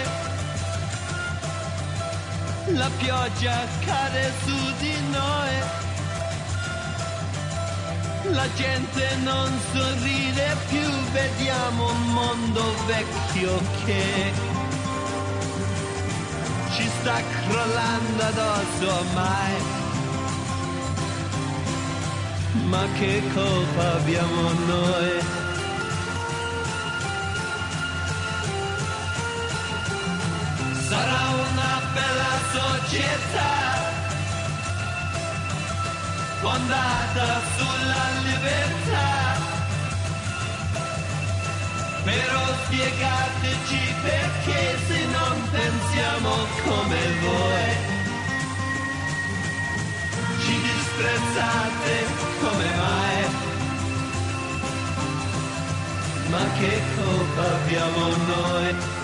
la pioggia cade su di noi, la gente non sorride più, vediamo un mondo vecchio che ci sta crollando addosso ormai. Ma che colpa abbiamo noi? Sarà una bella società fondata sulla libertà, però spiegateci perché se non pensiamo come voi ci disprezzate, come mai? Ma che colpa abbiamo noi?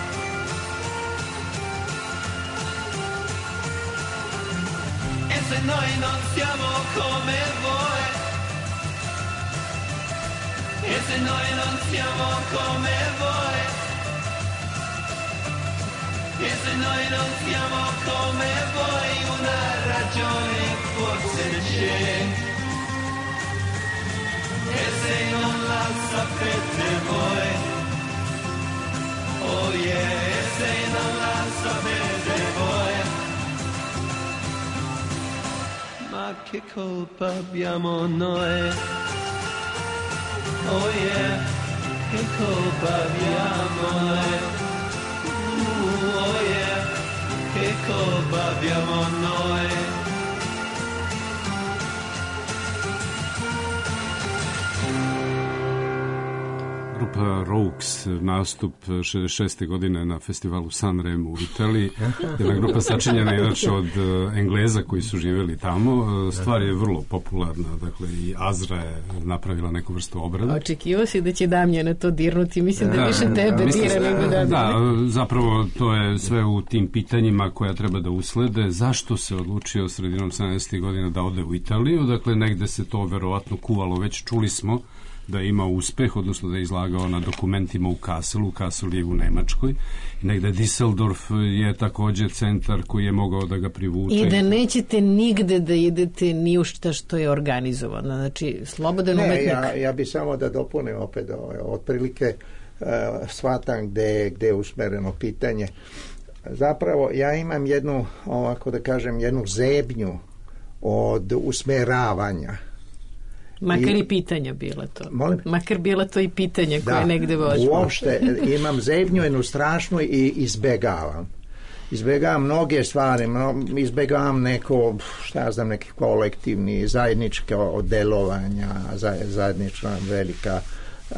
Se noi non siamo come voi, e se noi non siamo come voi, e se noi non siamo come voi, una ragione forse c'è, e se non la sapete voi, oh yeah, e se non la sapete voi, ma che colpa abbiamo noi? Oh yeah, che colpa abbiamo noi? Uh, oh yeah, che colpa abbiamo noi? Grupa Rogues, nastup šezdeset šeste godine na festivalu Sanremo u Italiji. Jedna grupa sačinjena inače od Engleza koji su živjeli tamo. Stvar je vrlo popularna, dakle i Azra je napravila neku vrstu obrada. Očekivao si da će Damjana to dirnuti, mislim da, da više tebe dira nego da... Da, zapravo to je sve u tim pitanjima koja treba da uslede. Zašto se odlučio sredinom sedamdesetih godina da ode u Italiju? Dakle, negde se to verovatno kuvalo, već čuli smo da je imao uspeh, odnosno da je izlagao na dokumentima u Kasselu. Kassel je u Nemačkoj. I negde Düsseldorf je također centar koji je mogao da ga privuče. I da nećete nigde da idete ni u šta što je organizovano. Znači, slobodan umetnik. Ne, ja, ja bi samo da dopunim opet ove, otprilike uh, shvatam gde, gde je usmereno pitanje. Zapravo, ja imam jednu, ovako da kažem, jednu zebnju od usmeravanja. Makar i, i pitanja bila to. Molim? Makar bila to i pitanje koje da, negde vođu. Uopšte imam zebnju jednu strašnu i izbegavam. Izbegavam mnoge stvari, izbegavam neko, šta ja znam, neki kolektivni, zajednička delovanja, zajednička velika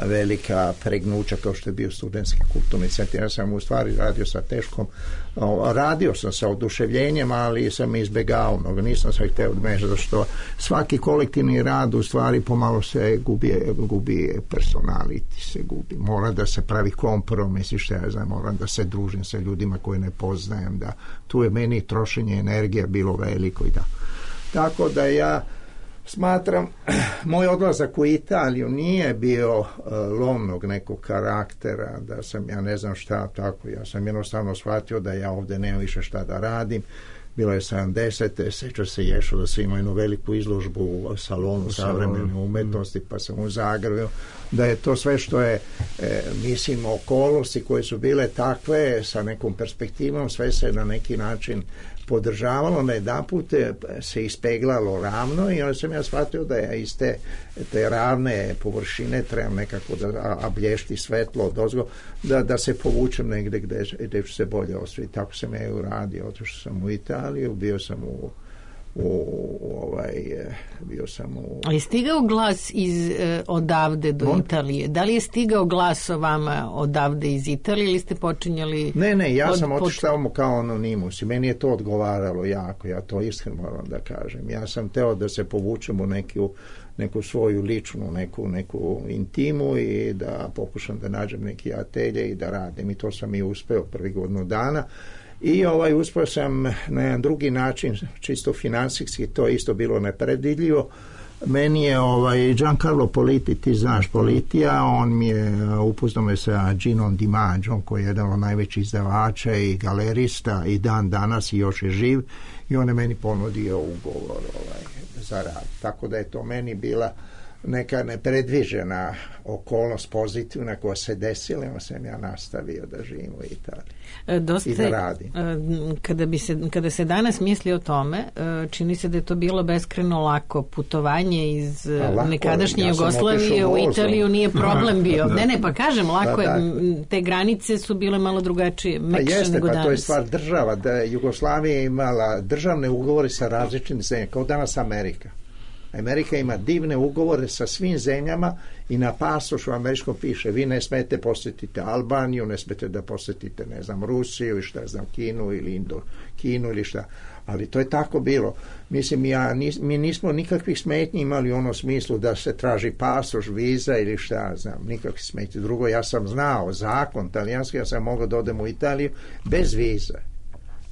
velika pregnuća kao što je bio studentski kulturni centar. Ja sam u stvari radio sa teškom, radio sam sa oduševljenjem, ali sam izbegao mnogo, nisam se hteo odmešati, što svaki kolektivni rad u stvari pomalo se gubi, gubi personality, se gubi. Mora da se pravi kompromis i što ja znam, moram da se družim sa ljudima koje ne poznajem, da tu je meni trošenje energije bilo veliko i da. Tako da ja smatram, moj odlazak u Italiju nije bio uh, lomnog nekog karaktera, da sam, ja ne znam šta, tako, ja sam jednostavno shvatio da ja ovdje nemam više šta da radim. Bilo je sedamdesete seća se Ješo da se ima jednu veliku izložbu u salonu savremene umetnosti, pa sam u Zagrebu, da je to sve što je, e, mislim, okolnosti koje su bile takve, sa nekom perspektivom, sve se na neki način podržavalo, na jedan put se ispeglalo ravno i onda sam ja shvatio da ja iz te, te ravne površine trebam nekako da ablješti svetlo odozgo, da, da se povučem negde gde, gde ću se bolje osvijeti. Tako sam ja i uradio, otišao sam u Italiju, bio sam u u ovaj bio sam u... Ali je stigao glas iz eh, odavde do On? Italije? Da li je stigao glas o vama odavde iz Italije ili ste počinjali... Ne, ne, ja pod, sam otišao pod... kao anonimus i meni je to odgovaralo jako, ja to iskreno moram da kažem. Ja sam teo da se povučem u neku, neku svoju ličnu, neku, neku intimu i da pokušam da nađem neki atelje i da radim i to sam i uspeo prvi godinu dana. I ovaj uspio sam na jedan drugi način, čisto finansijski, to je isto bilo nepredvidljivo. Meni je ovaj Giancarlo Politi, ti znaš Politija, on mi je upoznao me sa Ginom Di Maggiom, koji je jedan od najvećih izdavača i galerista i dan danas i još je živ, i on je meni ponudio ugovor ovaj, za rad. Tako da je to meni bila neka nepredviđena okolnost pozitivna koja se desila, onda sam ja nastavio da živim u Italiji Dosta, i da radim. Kada, bi se, kada se danas misli o tome, čini se da je to bilo beskreno lako putovanje iz lako, nekadašnje ja Jugoslavije u Italiju nije problem bio. Da. Ne, ne, pa kažem, lako da, da. je, te granice su bile malo drugačije, mekše jeste, nego pa danas. To je stvar država, da Jugoslavija je imala državne ugovore sa različitim zemljama, kao danas Amerika. Amerika ima divne ugovore sa svim zemljama i na pasošu američkom piše vi ne smete posjetiti Albaniju, ne smete da posjetite, ne znam, Rusiju i šta znam, Kinu ili Indo, Kinu ili šta. Ali to je tako bilo. Mislim, ja, nis, mi nismo nikakvih smetnji imali u onom smislu da se traži pasoš, viza ili šta znam, nikakvih smetnji. Drugo, ja sam znao zakon talijanski, ja sam mogao da odem u Italiju bez vize.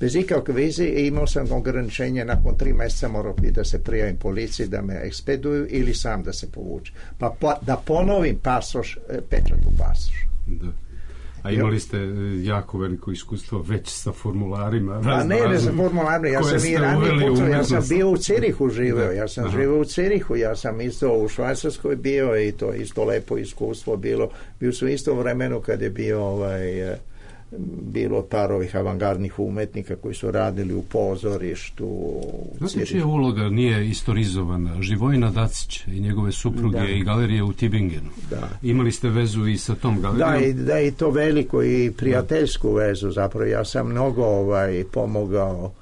Bez ikakve vize i imao sam ograničenje, nakon tri mjeseca morao bi da se prijavim policiji da me ekspeduju ili sam da se povuče. Pa, pa da ponovim pasoš, pečat u pasoš. Da. A imali ste jako veliko iskustvo već sa formularima. A ne, ne sa formularima, ja sam i ranije pucao, ja sam bio u Cirihu živeo, ja sam živeo u Cirihu, ja sam isto u Švajcarskoj bio i to isto lepo iskustvo bilo. Bio sam isto u vremenu kad je bio ovaj... bilo par ovih avangardnih umetnika koji su radili u pozorištu. Znači, čija uloga nije istorizovana? Živojina Dacić i njegove supruge da. I galerije u Tübingenu. Da. Imali ste vezu i sa tom galerijom? Da, i, da, i to veliko i prijateljsku da. Vezu. Zapravo ja sam mnogo ovaj, pomogao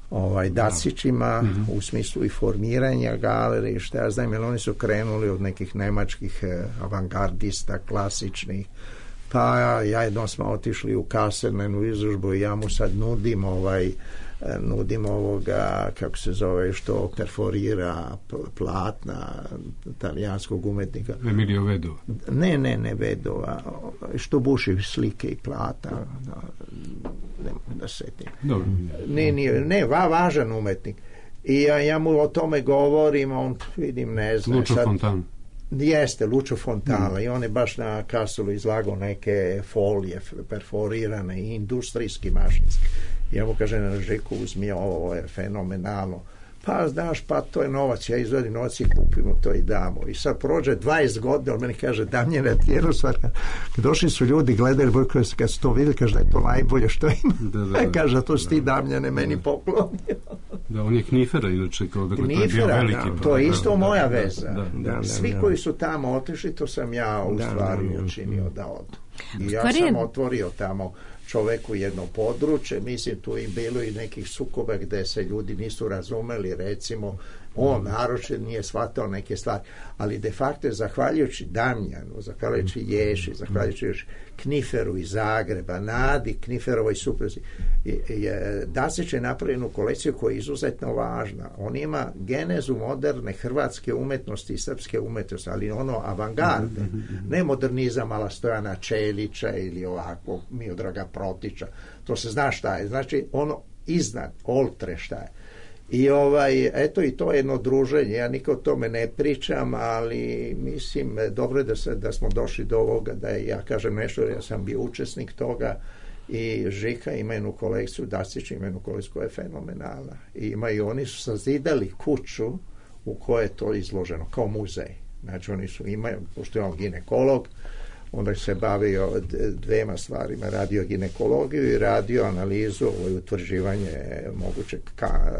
ovaj, Dacićima mm-hmm. u smislu i formiranja galerije, šta ja znam, jer oni su krenuli od nekih nemačkih eh, avangardista, klasičnih. Pa ja jednom smo otišli u Kassel na jednu izložbu i ja mu sad nudim ovaj nudim ovoga, kako se zove, što perforira platna talijanskog umetnika. Emilio Vedova. Ne, ne, ne Vedova. Što buši slike i plata. Da, ne mogu da setim. Dobro. Ne, ne, ne, va, važan umetnik. I ja, ja mu o tome govorim, on, vidim, ne znam. Lucio Fontana. Jeste, Lucio Fontana mm. i on je baš na Kastelu izlagao neke folije perforirane i industrijski mašinski. I ja mu kažem, Žeku, uzmi ovo, je fenomenalno. Pa znaš, pa to je novac, ja izvadim novac i kupimo to i damo. I sad prođe dvadeset godina, on meni kaže, Damjane, ti jednu stvar, došli su ljudi, gledali, kad su to vidjeli, kaže da je to najbolje što ima. Da, da, da. Kaže, to si ti, Damjane, meni da. poklonio. Da, on je Knifera, inače, kao dakle, Knifera, to je bio veliki. Da, to je isto da, moja da, veza. Da, da, da, Svi da, da. koji su tamo otišli, to sam ja u stvari da, da, učinio da odu. I ja sam otvorio tamo čoveku jedno područje, mislim tu i bilo i nekih sukoba gde se ljudi nisu razumeli, recimo on naročito nije shvatao neke stvari, ali de facto zahvaljujući Damjanu, zahvaljujući Ješi, zahvaljujući Kniferu iz Zagreba, Nadi Kniferovoj supruzi, Dacić je napravio jednu kolekciju koja je izuzetno važna. On ima genezu moderne hrvatske umetnosti i srpske umetnosti, ali ono avangarde, ne modernizam ala Stojana Čelića ili ovako Miodraga Protića, to se zna šta je, znači ono iznad oltre šta je. I ovaj, eto i to je jedno druženje, ja nikad o tome ne pričam, ali mislim, dobro je da, se, da smo došli do ovoga, da ja kažem nešto, ja sam bio učesnik toga i Žika ima jednu kolekciju, Dacić ima jednu kolekciju koja je fenomenalna. I imaju, oni su sazidali kuću u kojoj je to izloženo, kao muzej. Znači oni su, imaju, pošto je on ginekolog, onda se bavio dvema stvarima, radio ginekologiju i radio analizu i utvrđivanje mogućeg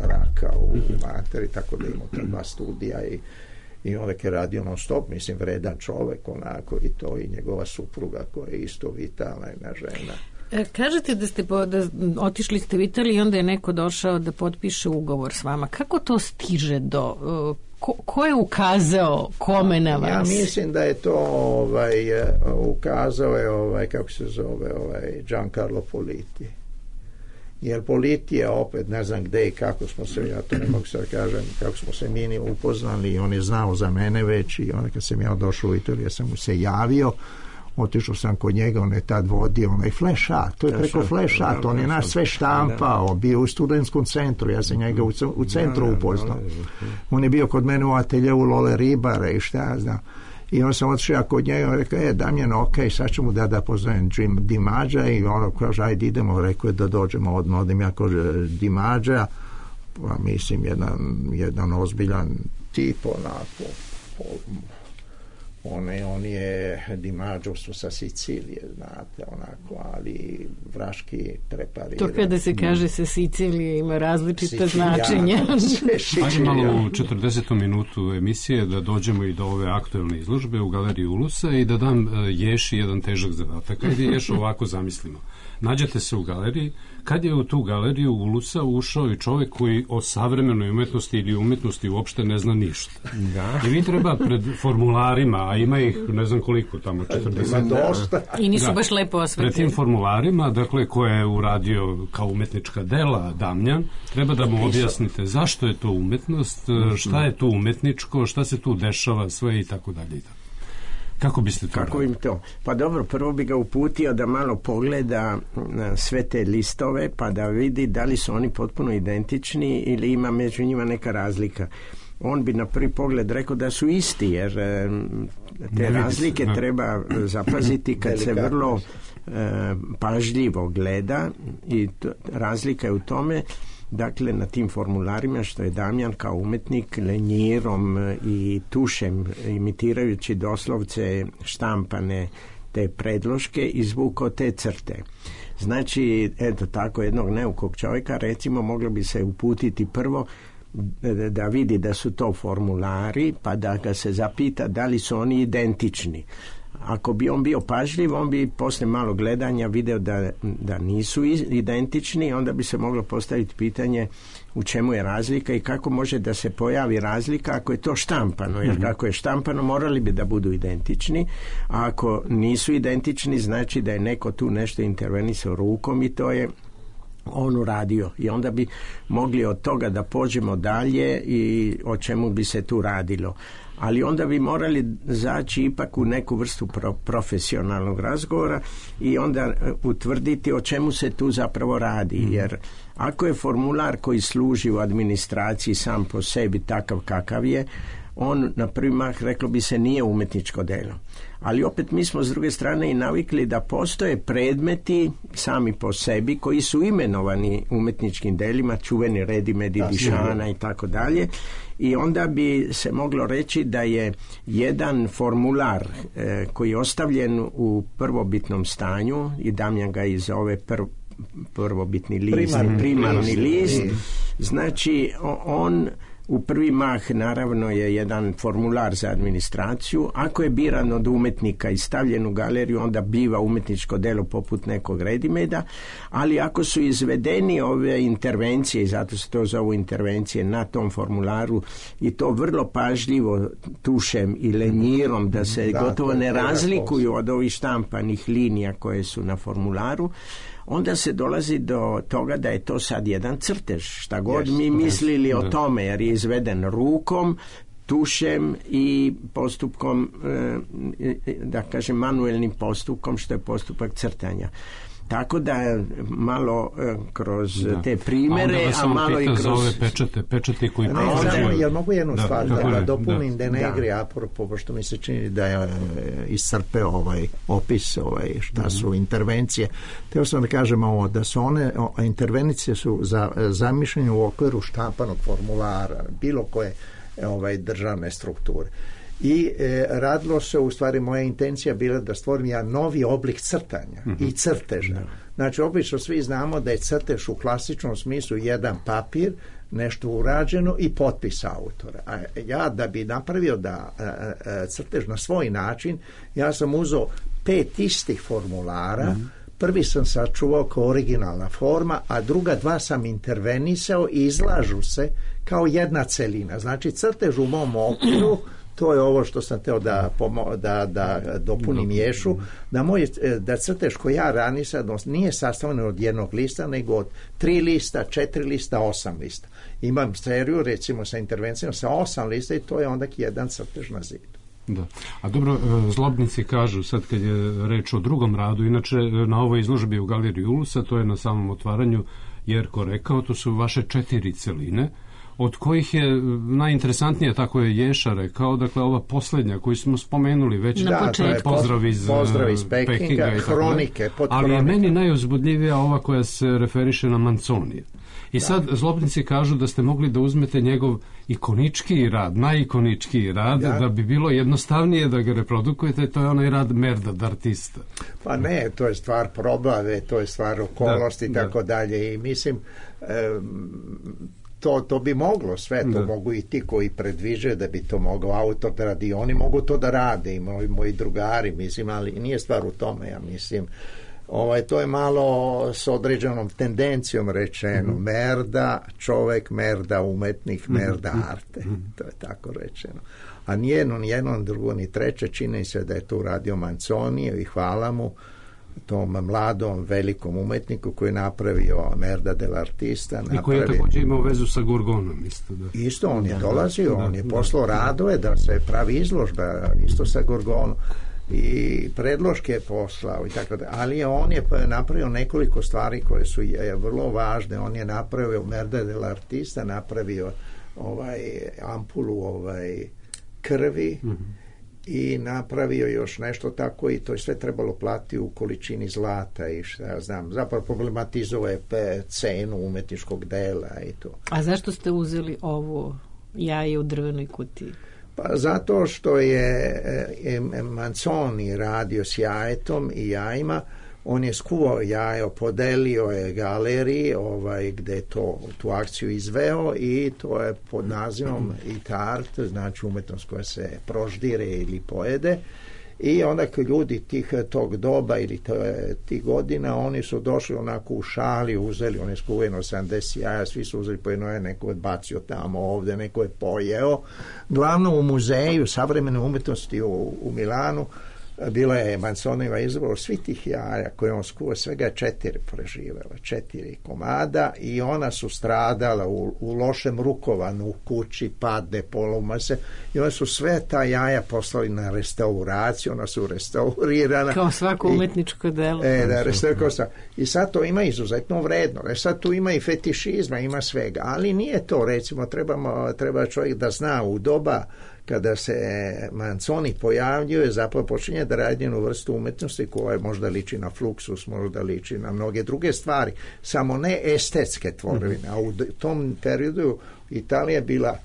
raka u materi, tako da imamo ta dva studija i, i onda je radio non stop, mislim, vredan čovek onako i to i njegova supruga koja je isto vitalna jedna žena. E, kažete da ste po, da otišli ste u Italiju i onda je neko došao da potpiše ugovor s vama. Kako to stiže do... Ko, ko je ukazao kome na vas? Ja mislim da je to ovaj, ukazao je ovaj, kako se zove, ovaj, Giancarlo Politi. Jer Politi je opet, ne znam gde i kako smo se, ja to ne mogu sad kažem, kako smo se mi upoznali i on je znao za mene već i onda kad sam ja došao u Italiju, ja sam mu se javio, otišao sam kod njega, on je tad vodio onaj flash art, to je preko flash art, on je naš sve štampao, bio u studentskom centru, ja sam njega u, u centru upoznao. On je bio kod mene u ateljevu Lole Ribare i šta ja znam. I on sam otišao kod njega i rekao, e, Damjan, ok, sad ću mu da da poznajem Jim Dimađa i ono kaže, ajde idemo, rekao je da dođemo odmah, odim ja kod Dimađa, pa mislim, jedan, jedan ozbiljan tip, onako, On je, on je Dimađo su sa Sicilije, znate, onako, ali vraški prepariran. To kada se kaže sa Sicilije ima različite značenja. Ajde malo u četrdesetom minutu emisije da dođemo i do ove aktuelne izložbe u Galeriji Ulusa i da dam Ješi jedan težak zadatak. Ajde Ješo ovako zamislimo. Nađete se u galeriji, kad je u tu galeriju Ulusa ušao i čovjek koji o savremenoj umetnosti ili umetnosti uopšte ne zna ništa. Da. I vi treba pred formularima, a ima ih ne znam koliko tamo, četrdeset. Dosta. I nisu da, baš lepo osvetljeni. Pred tim formularima, dakle, koje je uradio kao umetnička dela Damjan, treba da mu objasnite zašto je to umetnost, šta je tu umetničko, šta se tu dešava, sve i tako dalje i tako. Kako biste to Kako im to? Pa dobro, prvo bi ga uputio da malo pogleda sve te listove pa da vidi da li su oni potpuno identični ili ima među njima neka razlika. On bi na prvi pogled rekao da su isti, jer te razlike treba zapaziti kad se vrlo e, pažljivo gleda i to, razlika je u tome, dakle, na tim formularima što je Damjan kao umetnik lenjirom i tušem, imitirajući doslovce štampane te predloške, izvukao te crte. Znači, eto tako jednog neukog čovjeka, recimo, moglo bi se uputiti prvo da vidi da su to formulari, pa da ga se zapita da li su oni identični. Ako bi on bio pažljiv, on bi posle malo gledanja video da, da nisu identični, onda bi se moglo postaviti pitanje u čemu je razlika i kako može da se pojavi razlika ako je to štampano, jer kako je štampano morali bi da budu identični, a ako nisu identični znači da je neko tu nešto intervenisao rukom i to je on uradio i onda bi mogli od toga da pođemo dalje i o čemu bi se tu radilo. Ali onda bi morali zaći ipak u neku vrstu pro, profesionalnog razgovora i onda utvrditi o čemu se tu zapravo radi. Jer ako je formular koji služi u administraciji sam po sebi takav kakav je, on na prvi mah, reklo bi se, nije umetničko delo. Ali opet mi smo s druge strane i navikli da postoje predmeti sami po sebi koji su imenovani umetničkim delima, čuveni Redimedi, Dišana i tako dalje. I onda bi se moglo reći da je jedan formular e, koji je ostavljen u prvobitnom stanju, i Damjan ga i zove prv, prvobitni list, primarni, primarni list, list. Znači on u prvi mah naravno je jedan formular za administraciju. Ako je biran od umetnika i stavljen u galeriju, onda biva umetničko delo poput nekog Redimeda, ali ako su izvedeni ove intervencije, i zato se to zovu intervencije na tom formularu, i to vrlo pažljivo tušem i lenjirom, da se da, gotovo ne razlikuju od ovih štampanih linija koje su na formularu, onda se dolazi do toga da je to sad jedan crtež, šta god yes, mi mislili yes, o tome, jer je izveden rukom, tušem i postupkom, da kažem, manuelnim postupkom, što je postupak crtanja. Tako da malo e, kroz da. te primere, a, a malo i kroz... za ove pečate, pečate koji... Ne, samo, jel mogu jednu da, stvar da, da, da dopunim da. Denegri, apropo, pošto mi se čini da je iscrpeo ovaj opis, ovaj, šta su mm-hmm. intervencije. Teo sam da kažem ovo, da su one, o, intervencije su za, zamišljene u okviru štampanog formulara, bilo koje ovaj, državne strukture. I e, radilo se, u stvari moja intencija bila da stvorim ja novi oblik crtanja mm-hmm. i crteža. No. Znači, obično svi znamo da je crtež u klasičnom smislu jedan papir, nešto urađeno i potpis autora. A ja da bi napravio da a, a, crtež na svoj način, ja sam uzeo pet istih formulara, mm-hmm. prvi sam sačuvao kao originalna forma, a druga dva sam intervenisao i izlažu se kao jedna celina. Znači, crtež u mom okviru, to je ovo što sam teo da, pomo, da, da dopunim Ješu, da, moj, da crtež koji ja radim sad nije sastavljen od jednog lista, nego od tri lista, četiri lista, osam lista. Imam seriju, recimo, sa intervencijom sa osam lista i to je onda jedan crtež na zidu. Da. A dobro, zlobnici kažu, sad kad je reč o drugom radu, inače na ovoj izložbi u Galeriji Ulusa, to je na samom otvaranju Jerko rekao, to su vaše četiri celine, od kojih je najinteresantnije, tako je Ješa rekao, dakle ova posljednja koju smo spomenuli već, da, počet, pozdrav iz, pozdrav iz Pekinga, Pekinga hronike, pod ali hronike. Je meni najuzbudljivija ova koja se referiše na Manconija. I da. Sad zlobnici kažu da ste mogli da uzmete njegov ikoničkiji rad, najikoničkiji rad, da. da bi bilo jednostavnije da ga reprodukujete, to je onaj rad Merda d'Artista. Pa ne, to je stvar probave, to je stvar okolnosti i tako dalje. I mislim, um, To, to bi moglo sve, to da. Mogu i ti koji predviđaju da bi to mogao autor da radi, oni mogu to da rade i moji, moji drugari, mislim, ali nije stvar u tome, ja mislim. Ovaj, to je malo s određenom tendencijom rečeno, mm-hmm. merda čovek, merda umetnik, merda mm-hmm. arte, mm-hmm. to je tako rečeno. A nijedno, nijedno, drugo, ni treće, čini se da je to uradio Manconio i hvala mu, tom mladom, velikom umetniku koji je napravio Merda dell'Artista. I koji je također imao vezu sa Gorgonom. Isto, da. isto on je dolazio, da, on je poslao da, radove da se pravi izložba, isto sa Gorgonom. I predloške je poslao i tako da. Ali on je napravio nekoliko stvari koje su je, vrlo važne. On je napravio Merda dell'Artista, napravio ovaj ampulu ovaj krvi, mm-hmm. i napravio još nešto tako i to je sve trebalo platiti u količini zlata i šta ja znam, zapravo problematizovao je cenu umetničkog dela i to. A zašto ste uzeli ovo jaje u drvenoj kutiji? Pa zato što je Manzoni radio s jajetom i jajima, on je skuvao jajo, podelio je galeriji ovaj, gde je to, tu akciju izveo i to je pod nazivom it art, znači umetnost koja se proždire ili pojede. I onda kad ljudi tih tog doba ili tih godina, oni su došli onako u šali, uzeli, on je skuveno sedamdeset jaja, svi su uzeli po jedno, je neko je bacio tamo ovde, neko je pojeo. Glavno u muzeju savremene umetnosti u, u Milanu bila je Manzoniva izbor svi tih jaja koje on skuva, svega četiri preživela, četiri komada i ona su stradala u, u lošem rukovanju, u kući, padne, poloma se i ona su sve ta jaja poslali na restauraciju, ona su restaurirana. Kao svako umetničko delo. E, da, restaurirana. I sad to ima izuzetno vredno. E sad tu ima i fetišizma, ima svega, ali nije to, recimo, trebamo, treba čovjek da zna u doba kada se Manzoni pojavljuje, zapravo počinje da radi jednu vrstu umetnosti koja možda liči na Fluxus, možda liči na mnoge druge stvari, samo ne estetske tvorevine. A u tom periodu Italija je bila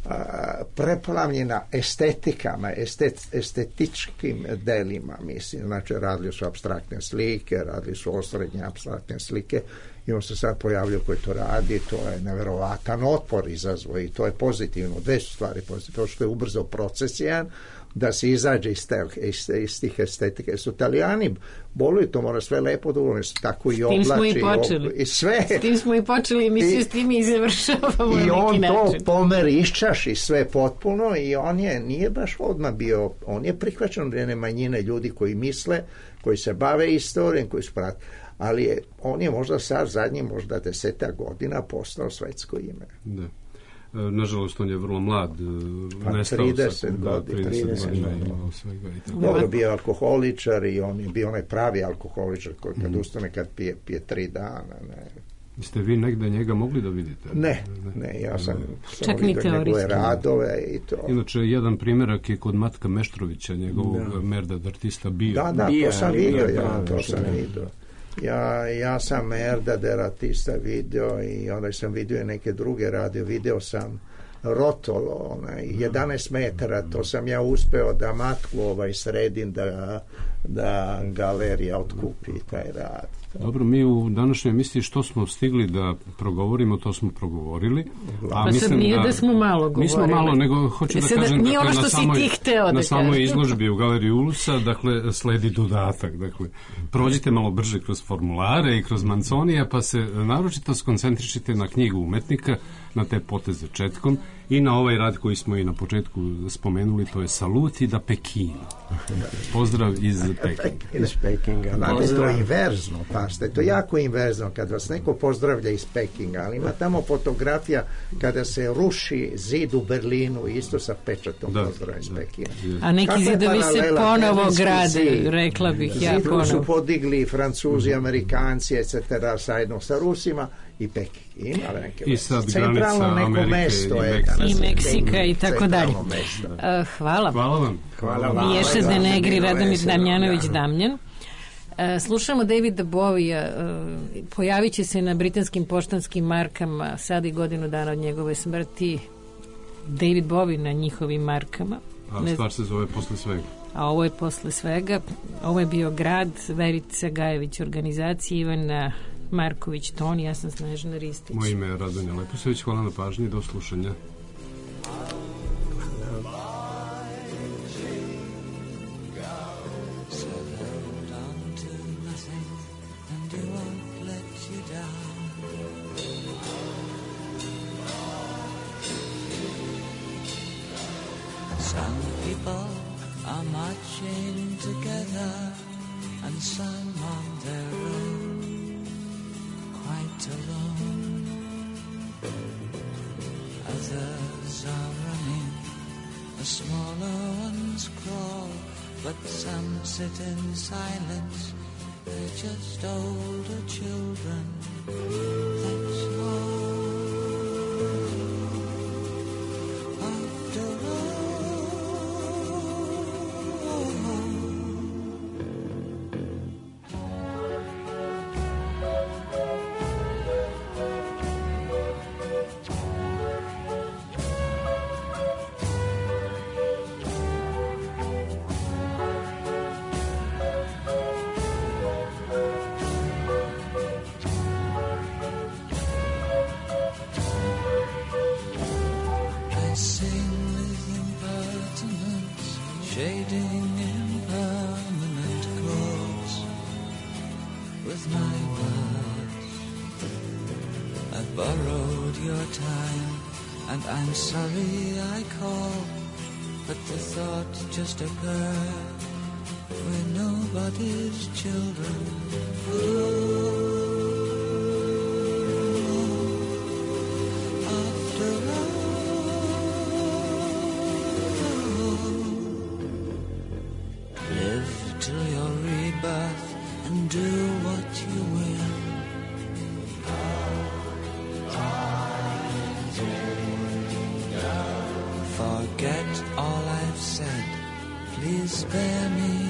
a, preplavljena estetikama, estet, estetičkim delima, mislim. Znači, radili su apstraktne slike, radili su osrednje apstraktne slike, i on se sad pojavljaju koji to radi, to je neverovatan otpor izazvo i to je pozitivno, dve su stvari pozitivno, što je ubrzao proces jedan, da se izađe iz, te, iz, iz tih estetike. Su Italijani boluju, to mora sve lepo da uvijek, tako i oblači. S tim smo i počeli. I sve. S tim smo i počeli, mi se s tim i završavamo. I on to pomer iščaši sve potpuno i on je, nije baš odmah bio, on je prihvaćen od jedne manjine ljudi koji misle, koji se bave istorijom, koji su prati. Ali je, on je možda sad zadnji možda desetak godina postao svetsko ime. Da. E, nažalost, on je vrlo mlad. Pa nestao trideset godina. Dobro, bio alkoholičar i on je bio onaj pravi alkoholičar koji kad mm. ustane kad pije, pije tri dana. Ne. Ste vi negde njega mogli da vidite? Ne, ne, ja sam samo vidio njegove radove i to. Inače, jedan primjerak je kod Matka Meštrovića, njegovog da. Merdad artista bio. Da, da, to sam vidio, ja, to sam vidio. Ja, ja sam Merdader artista video i onda sam vidio neke druge radio, video sam Rotolo, onaj, jedanaest metara, to sam ja uspeo da matku ovaj sredim da, da galerija otkupi taj rad. Dobro, mi u današnjoj emisiji što smo stigli da progovorimo, to smo progovorili. A pa mislim nije da, da smo malo govorili. Nismo malo, nego hoću da kažem nije ono što na samoj, si ti hteo da na samoj izložbi u Galeriji Ulusa, dakle, sledi dodatak. Dakle, prođite malo brže kroz formulare i kroz Manzonija, pa se naročito skoncentrišite na knjigu umetnika, na te poteze četkom i na ovaj rad koji smo i na početku spomenuli, to je Saluti da Pekinu. Pozdrav iz Pekinga. Iz Pekinga. Znate, to je inverzno, pašte, to je jako inverzno kad vas neko pozdravlja iz Pekinga, ali ima tamo fotografija kada se ruši zid u Berlinu isto sa pečatom da, pozdrava iz Pekinga. A neki Kako zidovi se ponovo grade, zid, rekla bih ja ponovo. Zid su podigli Francuzi, Amerikanci, et cetera, sajedno sa Rusima i Peking. Ima neke I sad granica Amerike mesto i, je, i Meksika i tako dalje. Uh, hvala. Hvala vam. Hvala vam. Ješe Denegri, Radomir Damjanović Damjan. Uh, slušamo Davida Bovija. Uh, pojavit će se na britanskim poštanskim markama sad i godinu dana od njegove smrti. David Bowie na njihovim markama. A ne stvar se zove Posle svega. A ovo je Posle svega. Ovo je bio grad, Verica Gajević organizacija, Ivana Marković Toni, ja sam Snežana Ristić. Moje ime je Radonja Leposević, hvala na pažnji, do slušanja. Some people are marching together and some on their own, quite alone. Others are running, the smaller ones crawl, but some sit in silence, they're just older children, that's all. After all, shading impermanent chords with my words. I've borrowed your time, and I'm sorry I called, but the thought just occurred, we're nobody's children. Oh. Do what you will. Forget all Please spare me